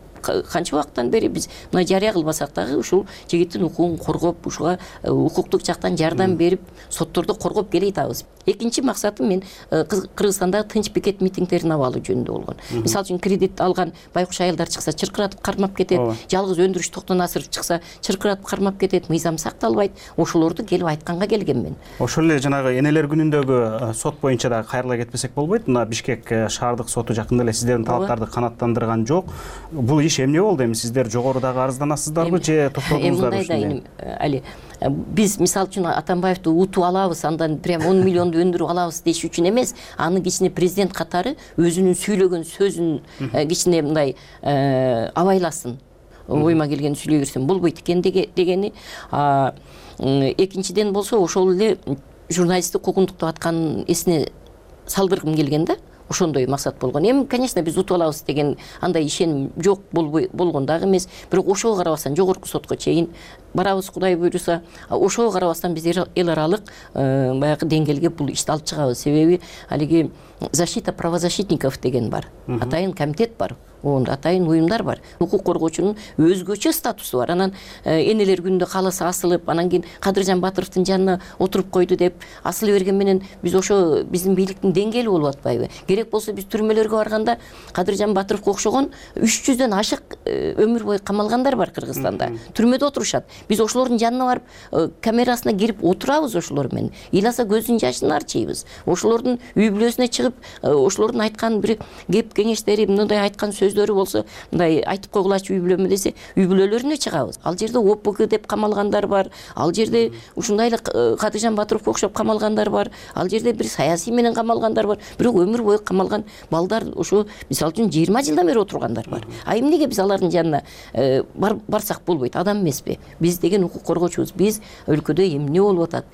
канча убакыттан бери биз мына жарыя кылбасак дагы ушул жигиттин укугун коргоп, ушуга укуктук жактан жардам берип, сотторду коргоп келе атабыз. Экинчи максатым мен Кыргызстандагы тынч пикет митингдерин абалы жөнүндө болгон. Мисалы үчүн кредит алган байкуш айылдар чыкса чыркыратып кармап кетет, жалгыз өндүрүш Токтонасыров чыкса чыркыратып кармап кетет, мыйзам сакталбайт. Ошолорду келип айтканга келгем мен. Ошол эле жанагы энелер күнүндөгү сот боюнча да кайрыла кетпесек болбойт. Мына Бишкек шаардык соту жакында эле сиздердин талаптарды канааттандырган жок. Бул иш эмне болду? Эми сиздер жогорудагы арызданасыздарбы же токтодуңуздар ушундай? Али биз мисалы үчүн Атамбаевди утуп алабыз, андан прям он миллионду өндүрүп алабыз деш үчүн эмес, аны кичине президент катары өзүнүн сүйлөгөн сөзүн кичине мындай абайласын. Ойма келген сүйлөй берсем болбойт экен дегени. Экинчиден болсо ошол эле журналисттик куугунтуктап атканын эсине салдыргым келген да. ошондой максат болгон. Эми конечно биз утуп алабыз деген андай ишеним жок болбой болгон дагы эмес, бирок ошого карабастан жогорку сотко чейин барабыз, Кудай буйруса. Ошого карабастан биз эл аралык баягы деңгээлге бул ишти алып чыгабыз. Себеби алиги защита правозащитников деген бар, атайын комитет бар, онда атайын уюмдар бар. Укук коргоочунун өзгөчө статусу бар. Анан энелер күнүндө кааласа асылып, анан кийин Кадыржан Батыровдун жанына отуруп койду деп асылы берген менен биз ошо биздин бийликтин деңгээли болуп атпайбы? Керек болсо биз түрмөлөргө барганда Кадыржан Батыровго окшогон үч жүздөн ашык өмүр бою камалгандар бар Кыргызстанда. Түрмөдө отурушат. Биз ошолордун жанына барып камерасына кирип отурабыз ошолор менен. Ыйласа көзүнүн жашын арчыйбыз. Ошолордун үй бүлөсүнө чыгып, ошолордун айткан бир кеп кеңештери, мындай айткан сөздөрү болсо, мындай айтып койгулачы үй бүлөмө десе, үй бүлөлөрүнө чыгабыз. Ал жерде О П К деп камалгандар бар. Ал жерде ушундай эле Кадыржан Батыровго окшоп камалгандар бар. Ал жерде бир саясий менен камалгандар бар. Бирок өмүр бою камалган балдар ошо мисалы үчүн жыйырма жылдан бери отургандар бар. А эмнеге биз алардын жанына барсак болбойт? Адам эмеспи? Биз деген укук коргоочубуз. Биз өлкөдө эмне болуп атат?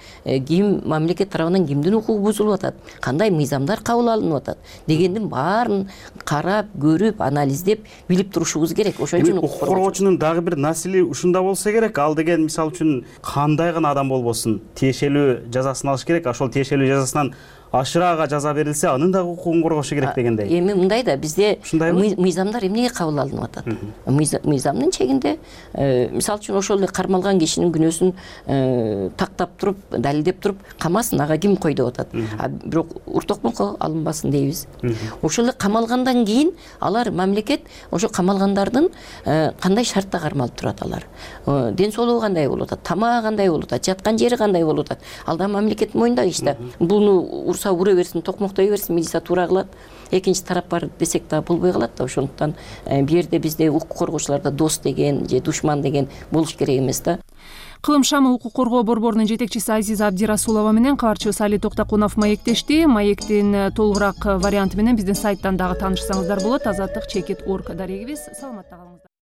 Ким мамлекет тарабынан кимдин укугу бузулуп атат? Кандай мыйзамдар кабыл алынып атат дегендин баарын карап, көрүп, анализдеп билип турушубуз керек. Ошон үчүн укук коргоочунун дагы бир насили ушунда болсо керек. Ал деген мисалы үчүн кандай гана адам болбосун, тиешелүү жазасын алыш керек. Ошол тиешелүү жазасынан ашыраагы жаза берилсе, анын дагы укугун коргошу керек дегендей. Эми мындай да, бизде мыйзамдар эмнеге кабыл алынып атат? Мыйзамдын чегинде, мисалы үчүн ошол эле кармалган кишинин күнөөсүн тактап туруп, далилдеп туруп, камасын, ага ким кой деп атат. А бирок уртокмунко алынбасын дейбиз. Ошол эле камалгандан кийин алар мамлекет ошо камалгандардын кандай шартта кармалып турат алар? Ден соолугу кандай болуп атат? Тамагы кандай болуп атат? Жаткан жери кандай болуп атат? Ал да мамлекет мойнунда иш да. Буну ура берсин, токмоктой берсин, милиция туура кылат. Экинчи тарап бар десек да болбой калат да. Ошондуктан бу жерде бизде укук коргоочуларда дос деген же душман деген болуш керек эмес да. Кылым шамы укук коргоо борборунун жетекчиси Азиза Абдирасулова менен кабарчыбыз Али Токтокунов маектешти. Маектин толугураак варианты менен биздин сайттан дагы таанышсаңыздар болот. азаттык чекит точка орг дарегибиз. Саламатта калыңыздар.